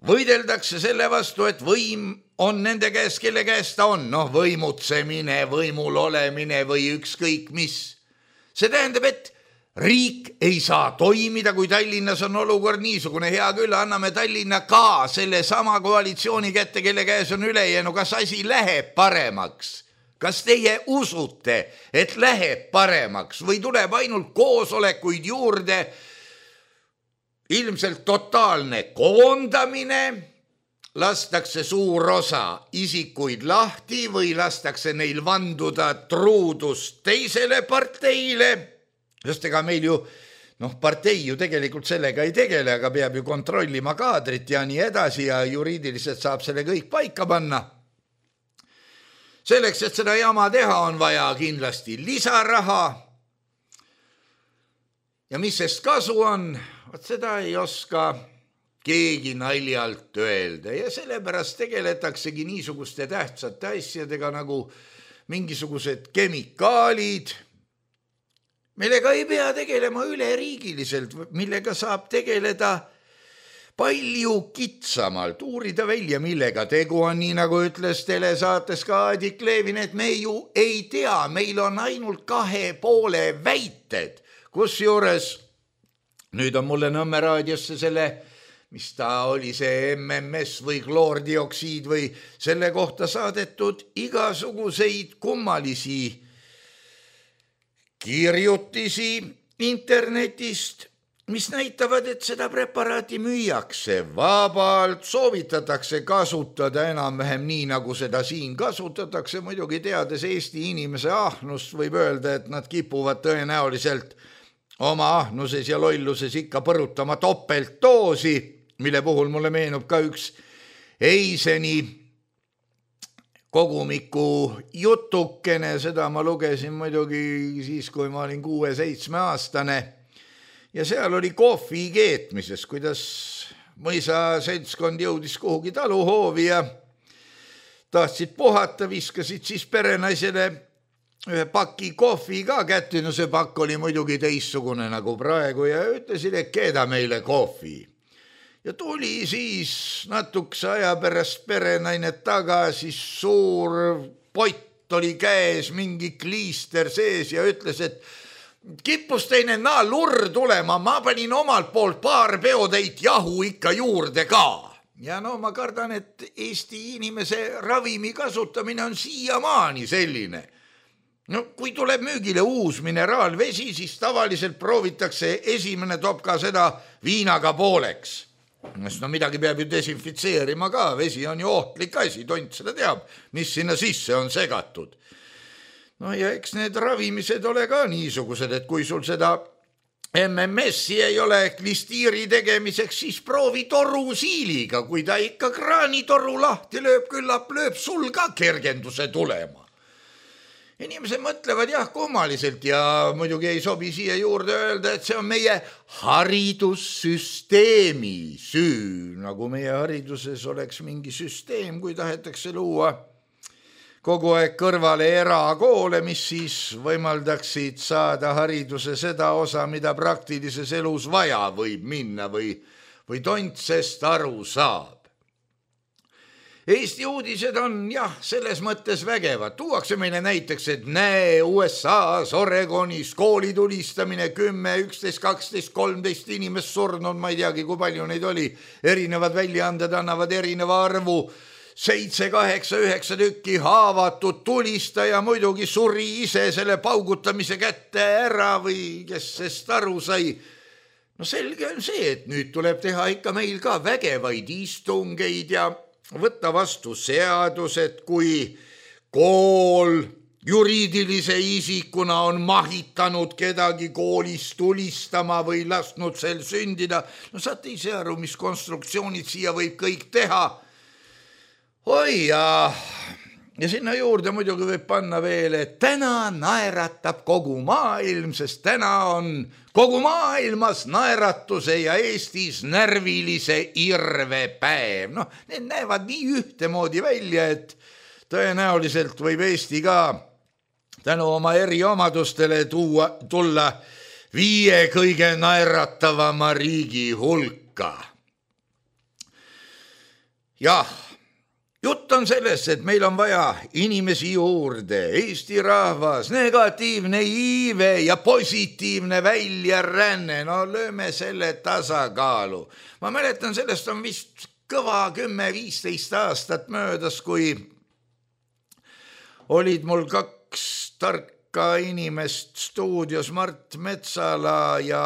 võideldakse selle vastu, et võim on nende käes, kelle käes ta on. Noh, võimutsemine, võimul olemine või ükskõik mis. See tähendab, et riik ei saa toimida, kui Tallinnas on olukord niisugune. Hea küll, anname Tallinna ka selle sama koalitsiooni kätte, kelle käes on ülejäänu. Kas asi läheb paremaks? Kas teie usute, et läheb paremaks või tuleb ainult koosolekuid juurde? Ilmselt totaalne koondamine, lastakse suur osa isikuid lahti või lastakse neil vanduda truudust teisele parteile. Sest ega meil ju, noh, partei ju tegelikult sellega ei tegele, aga peab ju kontrollima kaadrit ja nii edasi ja juriidiliselt saab selle kõik paika panna. Selleks, et seda jama teha, on vaja kindlasti lisaraha. Ja mis sest kasu on, vaat seda ei oska keegi naljalt öelda ja sellepärast tegeletaksegi niisuguste tähtsate asjadega nagu mingisugused kemikaalid, millega ei pea tegelema üleriigiliselt, millega saab tegeleda palju kitsamalt, uurida välja, millega tegu on, nii nagu ütles telesaates ka Adik Levin, et me ju ei tea, meil on ainult kahe poole väited, kus juures nüüd on mulle Nõmme raadiosse selle, mis ta oli, see M M S või kloordioksiid või selle kohta saadetud igasuguseid kummalisi kirjutisi internetist, mis näitavad, et seda preparaati müüakse vabalt, soovitatakse kasutada enam-vähem nii, nagu seda siin kasutatakse. Muidugi teades Eesti inimese ahnust võib öelda, et nad kipuvad tõenäoliselt oma ahnuses ja lolluses ikka põrutama topeltdoosi, mille puhul mulle meenub ka üks Eiseni kogumiku jutukene, seda ma lugesin muidugi siis, kui ma olin kuue-seitsme aastane ja seal oli kohvi keetmises, kuidas mõisa seltskond jõudis kuhugi taluhoovi ja tahtsid puhata, viskasid siis perenaisele ühe paki kohvi ka kätte, no see pakk oli muidugi teistsugune nagu praegu ja ütlesid, et keeda meile kohvi. Ja tuli siis natukese aja pärast perenaine tagasi, suur pott oli käes, mingi kliister sees ja ütles, et kippus teine naa lurr tulema, ma panin omalt poolt paar peotäit jahu ikka juurde ka. Ja no ma kardan, et Eesti inimese ravimi kasutamine on siiamaani selline. No kui tuleb müügile uus mineraalvesi, siis tavaliselt proovitakse esimene topka seda viinaga pooleks. No midagi peab ju desinfitseerima ka, vesi on ju ohtlik asi, tont seda teab, mis sinna sisse on segatud. No ja eks need ravimised ole ka niisugused, et kui sul seda M M S-i ei ole klistiiri tegemiseks, siis proovi torusiiliga, kui ta ikka kraanitoru lahti lööb, küllap lööb sul ka kergenduse tulema. Inimesed mõtlevad jah kummaliselt ja muidugi ei sobi siia juurde öelda, et see on meie haridussüsteemi süü, nagu meie hariduses oleks mingi süsteem, kui tahetakse luua kogu aeg kõrvale erakoole, mis siis võimaldaksid saada hariduse seda osa, mida praktilises elus vaja võib minna või, või tont sest aru saab. Eesti uudised on jah, selles mõttes vägevad. Tuuakse meile näiteks, et näe U S A-s Oregonis kooli tulistamine kümme, üksteist, kaksteist, kolmteist inimest surnud, ma ei teagi, kui palju neid oli. Erinevad väljaanded annavad erineva arvu, seitse, kaheksa, üheksa tükki haavatud tulistaja muidugi suri ise selle paugutamise kätte ära või kes sest aru sai. No selge on see, et nüüd tuleb teha ikka meil ka vägevaid istungeid ja võtta vastu seadused, kui kool juriidilise isikuna on mahitanud kedagi koolist tulistama või lasknud sel sündida. No saate ise aru, mis konstruktsioonid siia võib kõik teha. Oi ja, ja sinna juurde muidugi võib panna veel, et täna naeratab kogu maailm, sest täna on kogu maailmas naeratuse ja Eestis närvilise irve päev. Noh, need näevad nii ühtemoodi välja, et tõenäoliselt võib Eesti ka tänu oma eriomadustele tuua, tulla viie kõige naeratavama riigi hulka. Jah, jutt on sellest, et meil on vaja inimesi juurde, Eesti rahvas, negatiivne iive ja positiivne väljaränne. No lööme selle tasakaalu. Ma mäletan, sellest on vist kõva kümme viisteist aastat möödas, kui olid mul kaks tarka inimest stuudios, Mart Metsala ja,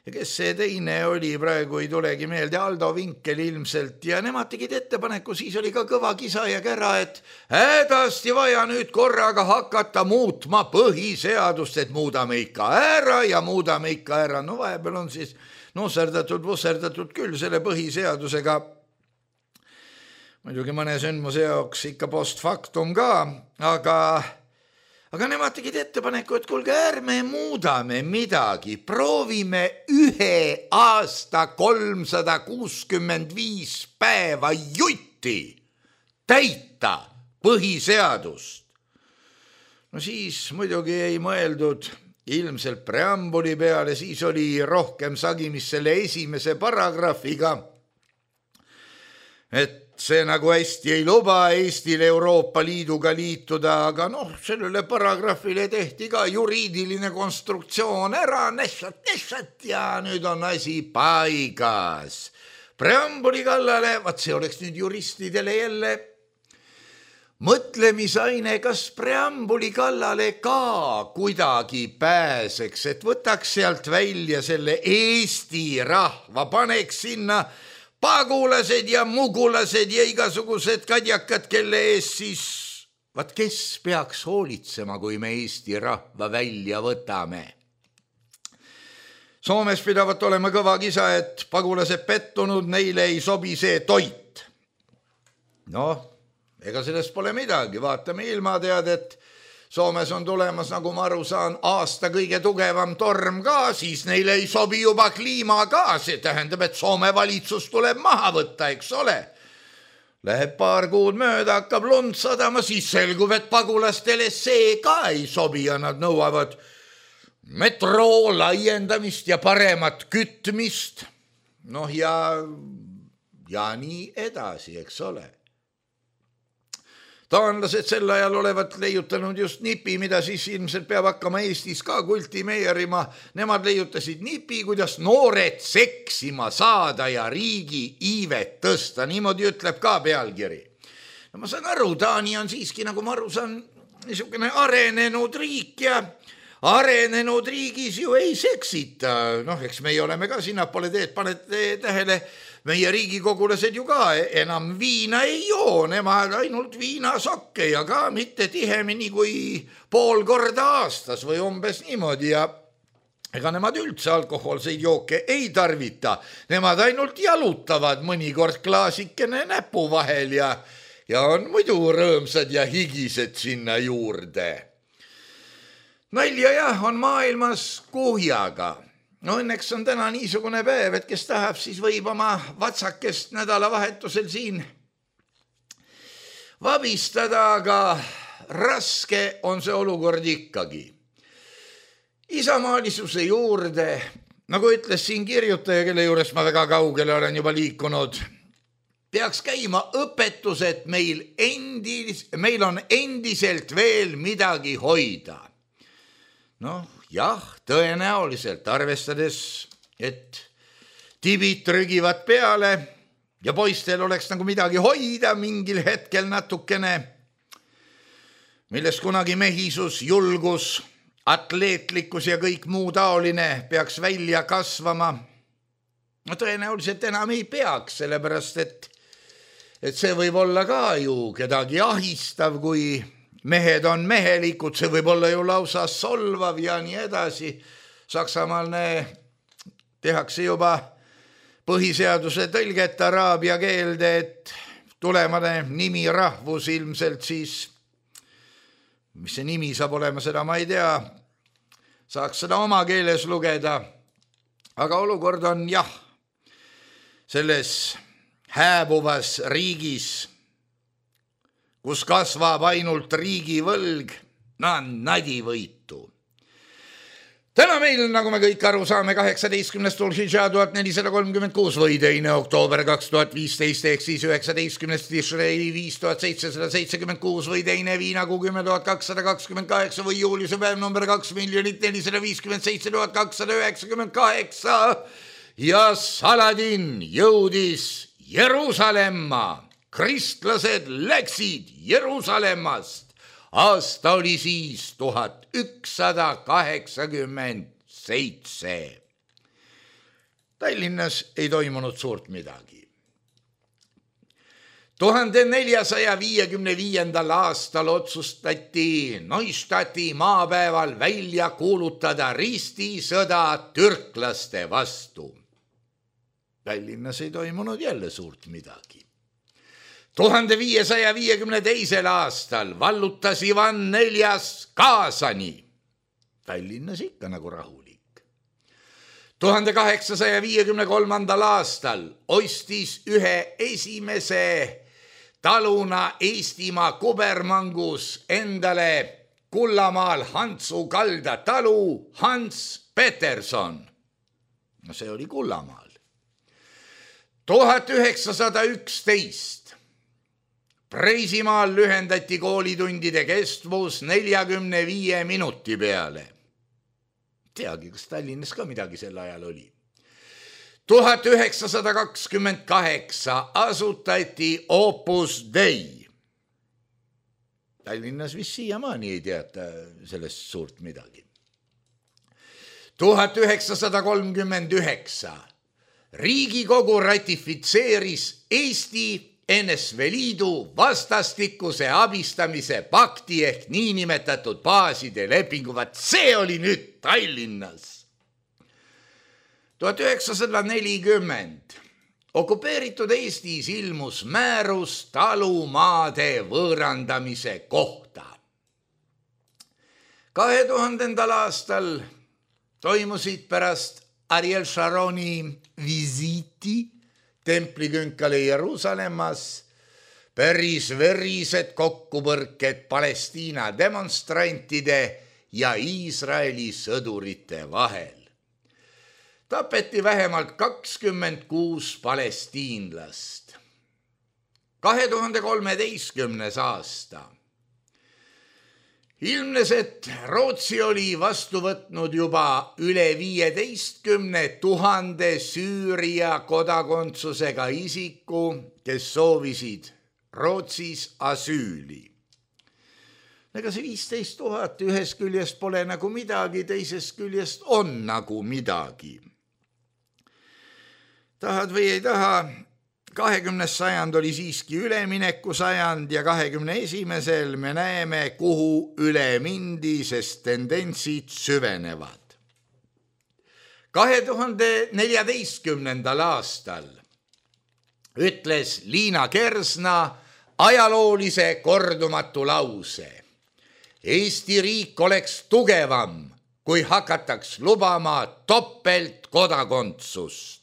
ja kes see teine oli, praegu ei tulegi meelde, Aldo Vinkel ilmselt, ja nemad tegid ettepaneku, siis oli ka kõva kisa ja kära, et hädasti vaja nüüd korraga hakata muutma põhiseadust, et muudame ikka ära ja muudame ikka ära. No vahepeal on siis nusserdatud, vusserdatud küll selle põhiseadusega, muidugi mõne sündmuse jaoks ikka post factum ka, aga, aga nemad tegid ettepaneku, et kuulge, ärme muudame midagi, proovime ühe aasta kolmsada kuuskümmend viis päeva jutti täita põhiseadust. No siis muidugi ei mõeldud ilmselt preambuli peale, siis oli rohkem sagimist selle esimese paragrahviga, et see nagu hästi ei luba Eestil Euroopa Liiduga liituda, aga noh, sellele paragrahvile tehti ka juriidiline konstruktsioon ära, nešat, nešat ja nüüd on asi paigas. Preambuli kallale, vaat see oleks nüüd juristidele jälle mõtlemisaine, kas preambuli kallale ka kuidagi pääseks, et võtaks sealt välja selle Eesti rahva, paneks sinna pagulased ja mugulased ja igasugused kadjakad, kelle ees siis, vaat kes peaks hoolitsema, kui me Eesti rahva välja võtame. Soomes pidavat olema kõva kisa, et pagulased pettunud, neile ei sobi see toit. Noh, ega sellest pole midagi, vaatame ilmateadet. Soomes on tulemas, nagu ma aru saan, aasta kõige tugevam torm ka, siis neile ei sobi juba kliima ka, see tähendab, et Soome valitsus tuleb maha võtta, eks ole. Läheb paar kuud mööda, hakkab lund sadama, siis selgub, et pagulastele see ka ei sobi ja nad nõuavad metroo laiendamist ja paremat kütmist. Noh ja, ja nii edasi, eks ole. Taanlased sel ajal olevat leiutanud just nipi, mida siis ilmselt peab hakkama Eestis ka kultimeerima. Nemad leiutasid nipi, kuidas noored seksima saada ja riigi iivet tõsta. Niimoodi ütleb ka pealkiri. No ma saan aru, Taani on siiski, nagu ma aru saan, niisugune arenenud riik ja arenenud riigis ju ei seksita. Noh, eks meie oleme ka sinnapoole teed, panete tähele, meie riigikogulased ju ka enam viina ei joo, nemad ainult viinasokke ja ka mitte tihemini kui pool korda aastas või umbes niimoodi ja ega nemad üldse alkohoolseid jooke ei tarvita. Nemad ainult jalutavad mõnikord klaasikene näpu vahel ja, ja on muidu rõõmsad ja higised sinna juurde. Nalja jah, on maailmas kuhjaga. No õnneks on täna niisugune päev, et kes tahab, siis võib oma vatsakest nädalavahetusel siin vabistada, aga raske on see olukord ikkagi. Isamaalisuse juurde, nagu ütles siin kirjutaja, kelle juures ma väga kaugele olen juba liikunud, peaks käima õpetus, et meil, endis, meil on endiselt veel midagi hoida. Noh, jah, tõenäoliselt arvestades, et tibid trügivad peale ja poistel oleks nagu midagi hoida mingil hetkel natukene, milles kunagi mehisus, julgus, atleetlikkus ja kõik muu taoline peaks välja kasvama. No tõenäoliselt enam ei peaks, sellepärast et et see võib olla ka ju kedagi ahistav, kui mehed on mehelikud, see võib olla ju lausa solvav ja nii edasi. Saksamaal tehakse juba põhiseaduse tõlget araabia keelde, et tulemane nimi rahvus ilmselt siis, mis see nimi saab olema, seda ma ei tea, saaks seda oma keeles lugeda, aga olukord on jah, selles hääbuvas riigis, kus kasvab ainult riigivõlg, nadivõitu. Täna meil, nagu me kõik aru saame, kaheksateistkümnes Tulhidža tuhat nelisada kolmkümmend kuus või teine oktoober kaks tuhat viisteist ehk siis üheksateistkümnes Tishrei viis tuhat seitsesada seitsekümmend kuus või teine Viinakuu kümme tuhat kakssada kakskümmend kaheksa või juuliuse päev number kaks miljonit nelisada viiskümmend seitse tuhat kakssada üheksakümmend kaheksa ja Saladin jõudis Jeruusalemma. Kristlased läksid Jeruusalemmast. Aasta oli siis tuhat ükssada kaheksakümmend seitse. Tallinnas ei toimunud suurt midagi. tuhande neljasaja viiekümne viiendal aastal otsustati Neustati maapäeval välja kuulutada ristisõda türklaste vastu. Tallinnas ei toimunud jälle suurt midagi. tuhande viiesaja viiekümne teisel aastal vallutas Ivan neljas Kaasani. Tallinnas ikka nagu rahulik. tuhande kaheksasaja viiekümne kolmandal aastal ostis ühe esimese taluna Eestimaa kubermangus endale Kullamaal Hantsu kalda talu Hans Peterson. No see oli Kullamaal. tuhat üheksasada üksteist Preisimaal lühendati koolitundide kestvus neljakümne viie minuti peale. Teagi, kas Tallinnas ka midagi sel ajal oli. tuhat üheksasada kakskümmend kaheksa asutati Opus Dei. Tallinnas vist siiamaani ei teata sellest suurt midagi. tuhat üheksasada kolmkümmend üheksa Riigikogu ratifitseeris Eesti N S V Liidu vastastikuse abistamise pakti ehk niinimetatud baaside lepingu. Vaat see oli nüüd Tallinnas. tuhat üheksasada nelikümmend okupeeritud Eestis ilmus määrus talumaade võõrandamise kohta. kahe tuhandendal aastal toimusid pärast Ariel Sharoni visiiti templikünkale Jeruusalemmas päris verised kokkupõrked Palestiina demonstrantide ja Iisraeli sõdurite vahel. Tapeti vähemalt kakskümmend kuus palestiinlast. kahe tuhande kolmeteistkümnes aasta ilmnes, et Rootsi oli vastu võtnud juba üle viieteistkümne tuhande Süüria kodakondsusega isiku, kes soovisid Rootsis asüüli. Ega see viisteist tuhat ühest küljest pole nagu midagi, teisest küljest on nagu midagi. Tahad või ei taha, kahekümnes sajand oli siiski ülemineku sajand ja kahekümne esimesel me näeme, kuhu üle mindi, sest tendentsid süvenevad. kahe tuhande neljateistkümnendal aastal ütles Liina Kersna ajaloolise kordumatu lause. Eesti riik oleks tugevam, kui hakataks lubama topeltkodakondsust.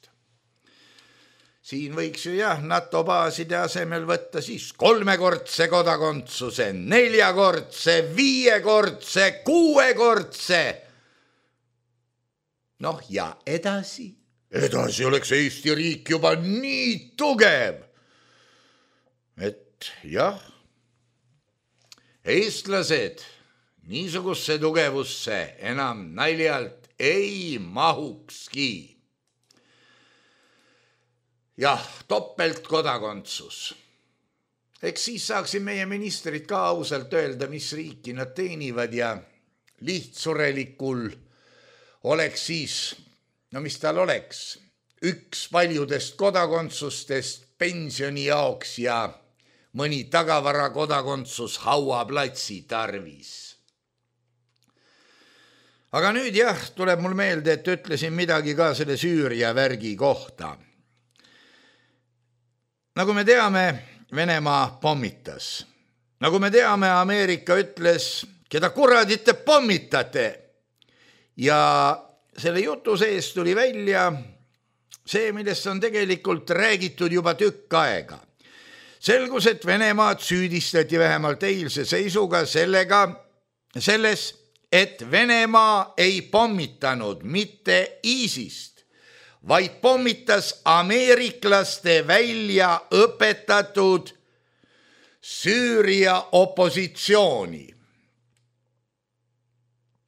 Siin võiks ju jah NATO baaside asemel võtta siis kolmekordse kodakondsuse, neljakordse, viiekordse, kuuekordse. Noh ja edasi? Edasi oleks Eesti riik juba nii tugev, et jah, eestlased niisugusse tugevusse enam naljalt ei mahukski. Jah, topeltkodakondsus. Eks siis saaksid meie ministrid ka ausalt öelda, mis riiki nad teenivad ja lihtsurelikul oleks siis, no mis tal oleks, üks paljudest kodakondsustest pensioni jaoks ja mõni tagavara kodakondsus hauaplatsi tarvis. Aga nüüd jah, tuleb mul meelde, et ütlesin midagi ka selle Süüria värgi kohta. Nagu me teame, Venemaa pommitas. Nagu me teame, Ameerika ütles, keda kuradit te pommitate. Ja selle jutu sees tuli välja see, millest on tegelikult räägitud juba tükk aega. Selgus, et Venemaad süüdistati vähemalt eilse seisuga sellega, selles, et Venemaa ei pommitanud mitte ISISt, vaid pommitas ameeriklaste välja õpetatud Süüria opositsiooni.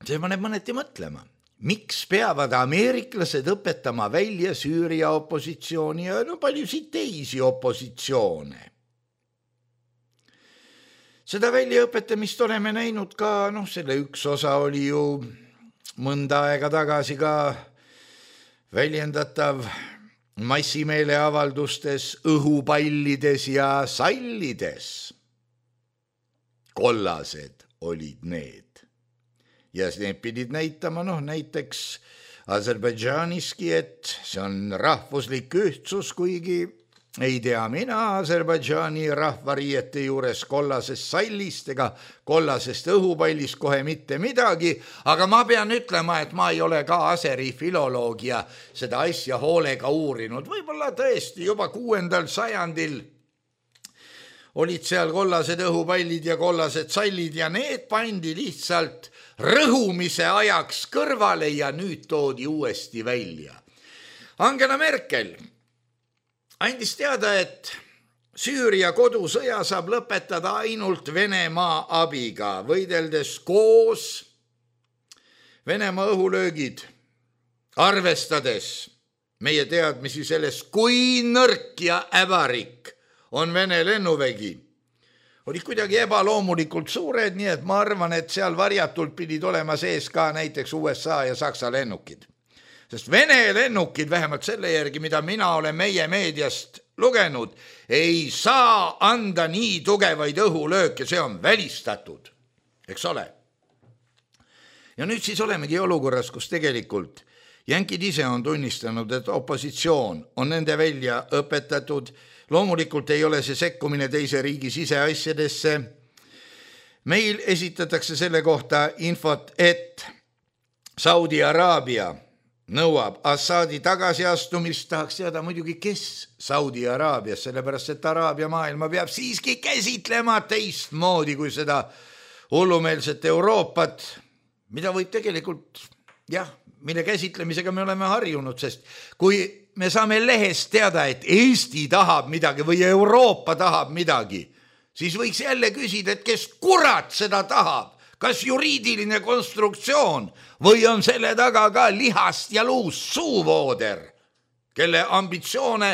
See paneb mõneti mõtlema, miks peavad ameeriklased õpetama välja Süüria opositsiooni ja no paljusid teisi opositsioone. Seda väljaõpetamist oleme näinud ka, noh, selle üks osa oli ju mõnda aega tagasi ka väljendatav massimeeleavaldustes, õhupallides ja sallides. Kollased olid need. Ja need pidid näitama, noh, näiteks Aserbaidžaaniski, et see on rahvuslik ühtsus, kuigi ei tea mina Aserbaidžaani rahvariiete juures kollasest sallist ega kollasest õhupallist kohe mitte midagi, aga ma pean ütlema, et ma ei ole ka aseri filoloog ja seda asja hoolega uurinud. Võib-olla tõesti juba kuuendal sajandil olid seal kollased õhupallid ja kollased sallid ja need pandi lihtsalt rõhumise ajaks kõrvale ja nüüd toodi uuesti välja. Angela Merkel andis teada, et Süüria kodusõja saab lõpetada ainult Venemaa abiga, võideldes koos Venemaa õhulöögid, arvestades meie teadmisi sellest, kui nõrk ja äbarik on Vene lennuvägi. Olid kuidagi ebaloomulikult suured, nii et ma arvan, et seal varjatult pidid olema sees ka näiteks U S A ja Saksa lennukid. Sest Vene lennukid, vähemalt selle järgi, mida mina olen meie meediast lugenud, ei saa anda nii tugevaid õhulööke, see on välistatud, eks ole. Ja nüüd siis olemegi olukorras, kus tegelikult jänkid ise on tunnistanud, et opositsioon on nende välja õpetatud. Loomulikult ei ole see sekkumine teise riigi siseasjadesse. Meil esitatakse selle kohta infot, et Saudi Araabia nõuab Assadi tagasiastumist, tahaks teada muidugi, kes Saudi Araabias, sellepärast et Araabia maailma peab siiski käsitlema teistmoodi kui seda hullumeelset Euroopat, mida võib tegelikult, jah, mille käsitlemisega me oleme harjunud, sest kui me saame lehest teada, et Eesti tahab midagi või Euroopa tahab midagi, siis võiks jälle küsida, et kes kurat seda tahab. Kas juriidiline konstruktsioon või on selle taga ka lihast ja luust suuvooder, kelle ambitsioone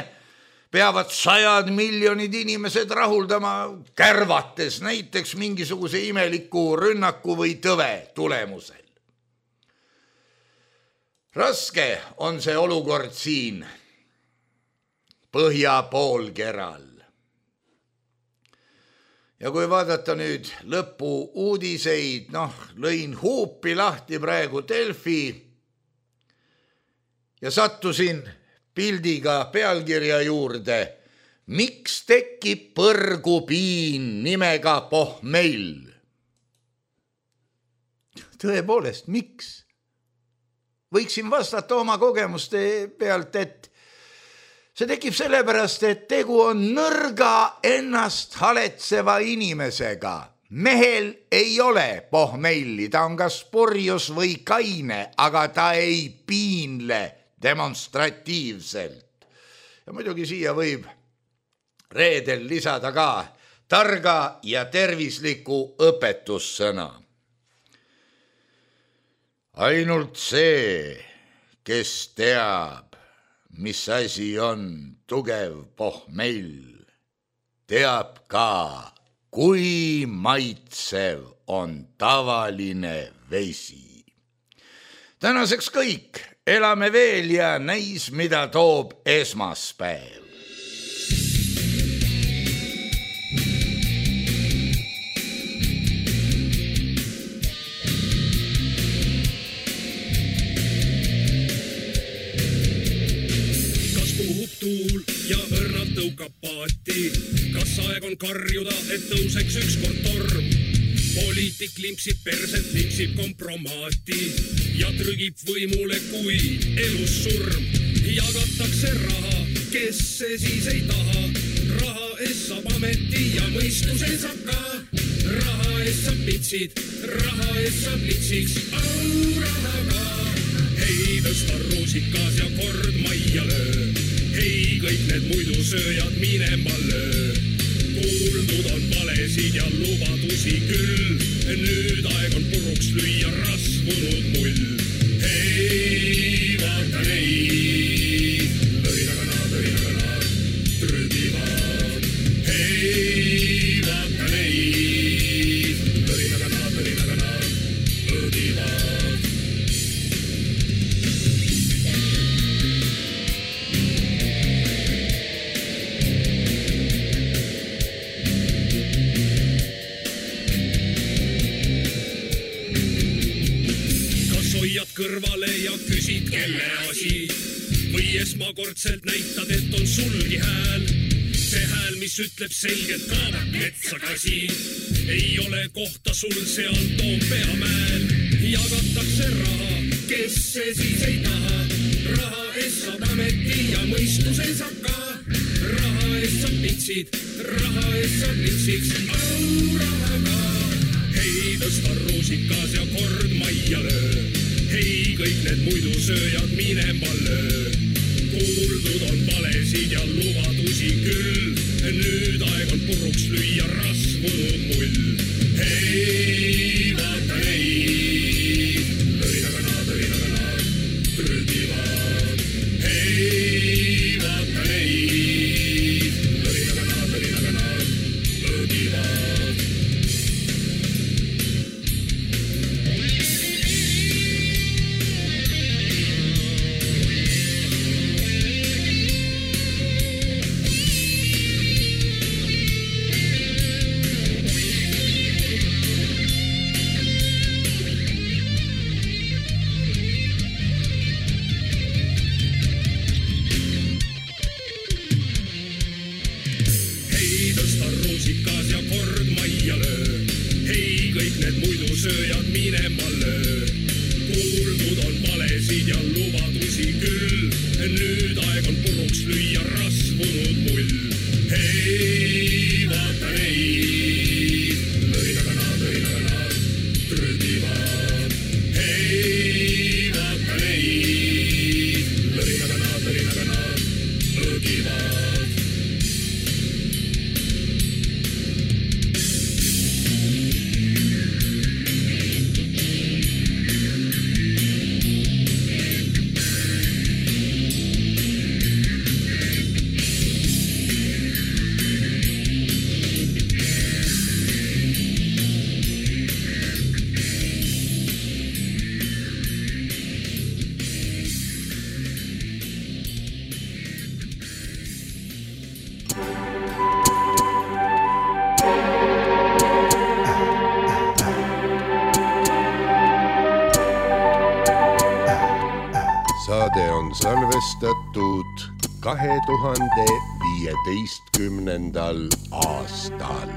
peavad sajad miljonid inimesed rahuldama kärvates näiteks mingisuguse imeliku rünnaku või tõve tulemusel. Raske on see olukord siin põhja poolkeral. Ja kui vaadata nüüd lõpu uudiseid, noh, lõin huupi lahti praegu Delfi ja sattusin pildiga pealkirja juurde, miks tekib põrgupiin nimega pohmell? Tõepoolest, miks? Võiksin vastata oma kogemuste pealt, et see tekib sellepärast, et tegu on nõrga ennast haletseva inimesega. Mehel ei ole pohmelli, ta on kas purjus või kaine, aga ta ei piinle demonstratiivselt. Ja muidugi siia võib reedel lisada ka targa ja tervisliku õpetussõna. Ainult see, kes teab, mis asi on tugev pohmell, teab ka, kui maitsev on tavaline vesi. Tänaseks kõik, elame veel ja näis, mida toob esmaspäev. on karjuda, et tõuseks ükskord torm. Poliitik limpsib perset, limpsib kompromaati ja trügib võimule, kui elus surm. Jagatakse raha, kes see siis ei taha. Raha ees saab ameti ja mõistuse saab ka. Raha ees saab pitsid, raha ees saab litsiks, au raha ka. Hei, tõsta ruusikas ja kord majja löö. Hei, kõik need muidu sööjad minema löö. Kuuldud on valesid ja lubadusi küll. Nüüd aeg on puruks lüüa rasvunud mull. Hei, vaata neid, lõinaga nad, lõinaga nad trügivad. Hei, vaata neid, lõinaga nad, lõinaga nad õdivad. Kõrvale ja küsid, kelle asi või esmakordselt näitad, et on sulgi hääl. See hääl, mis ütleb selgelt kaavad metsakasi, ei ole kohta sul seal Toompea mäel. Jagatakse raha, kes see siis ei taha. Raha ees saab ameti ja mõistuse saab ka. Raha ees saab pitsid, raha ees saab litsiks, au raha ka. Hei, tõsta ruusikas ja kord majja löö. Hei, kõik need muidu sööjad minema löö. Kuuldud on valesid ja lubadusi küll. Nüüd aeg on puruks lüüa rasvunud mull. Hei, vaata neid, lõinaga nad, lõinaga nad trügivad. Hei, vaata neid, lõinaga nad, lõinaga nad õdivad. Sööjad minema löö. Kuuldud on valesid ja lubadusi küll. Nüüd aeg on puruks lüüa rasvunud mull. Hei, vaata neid, lõinaga nad, lõinaga nad trügivad. Hei, vaata neid, lõinaga nad, lõinaga nad õgivad. Saade on salvestatud kahe tuhande viieteistkümnendal aastal.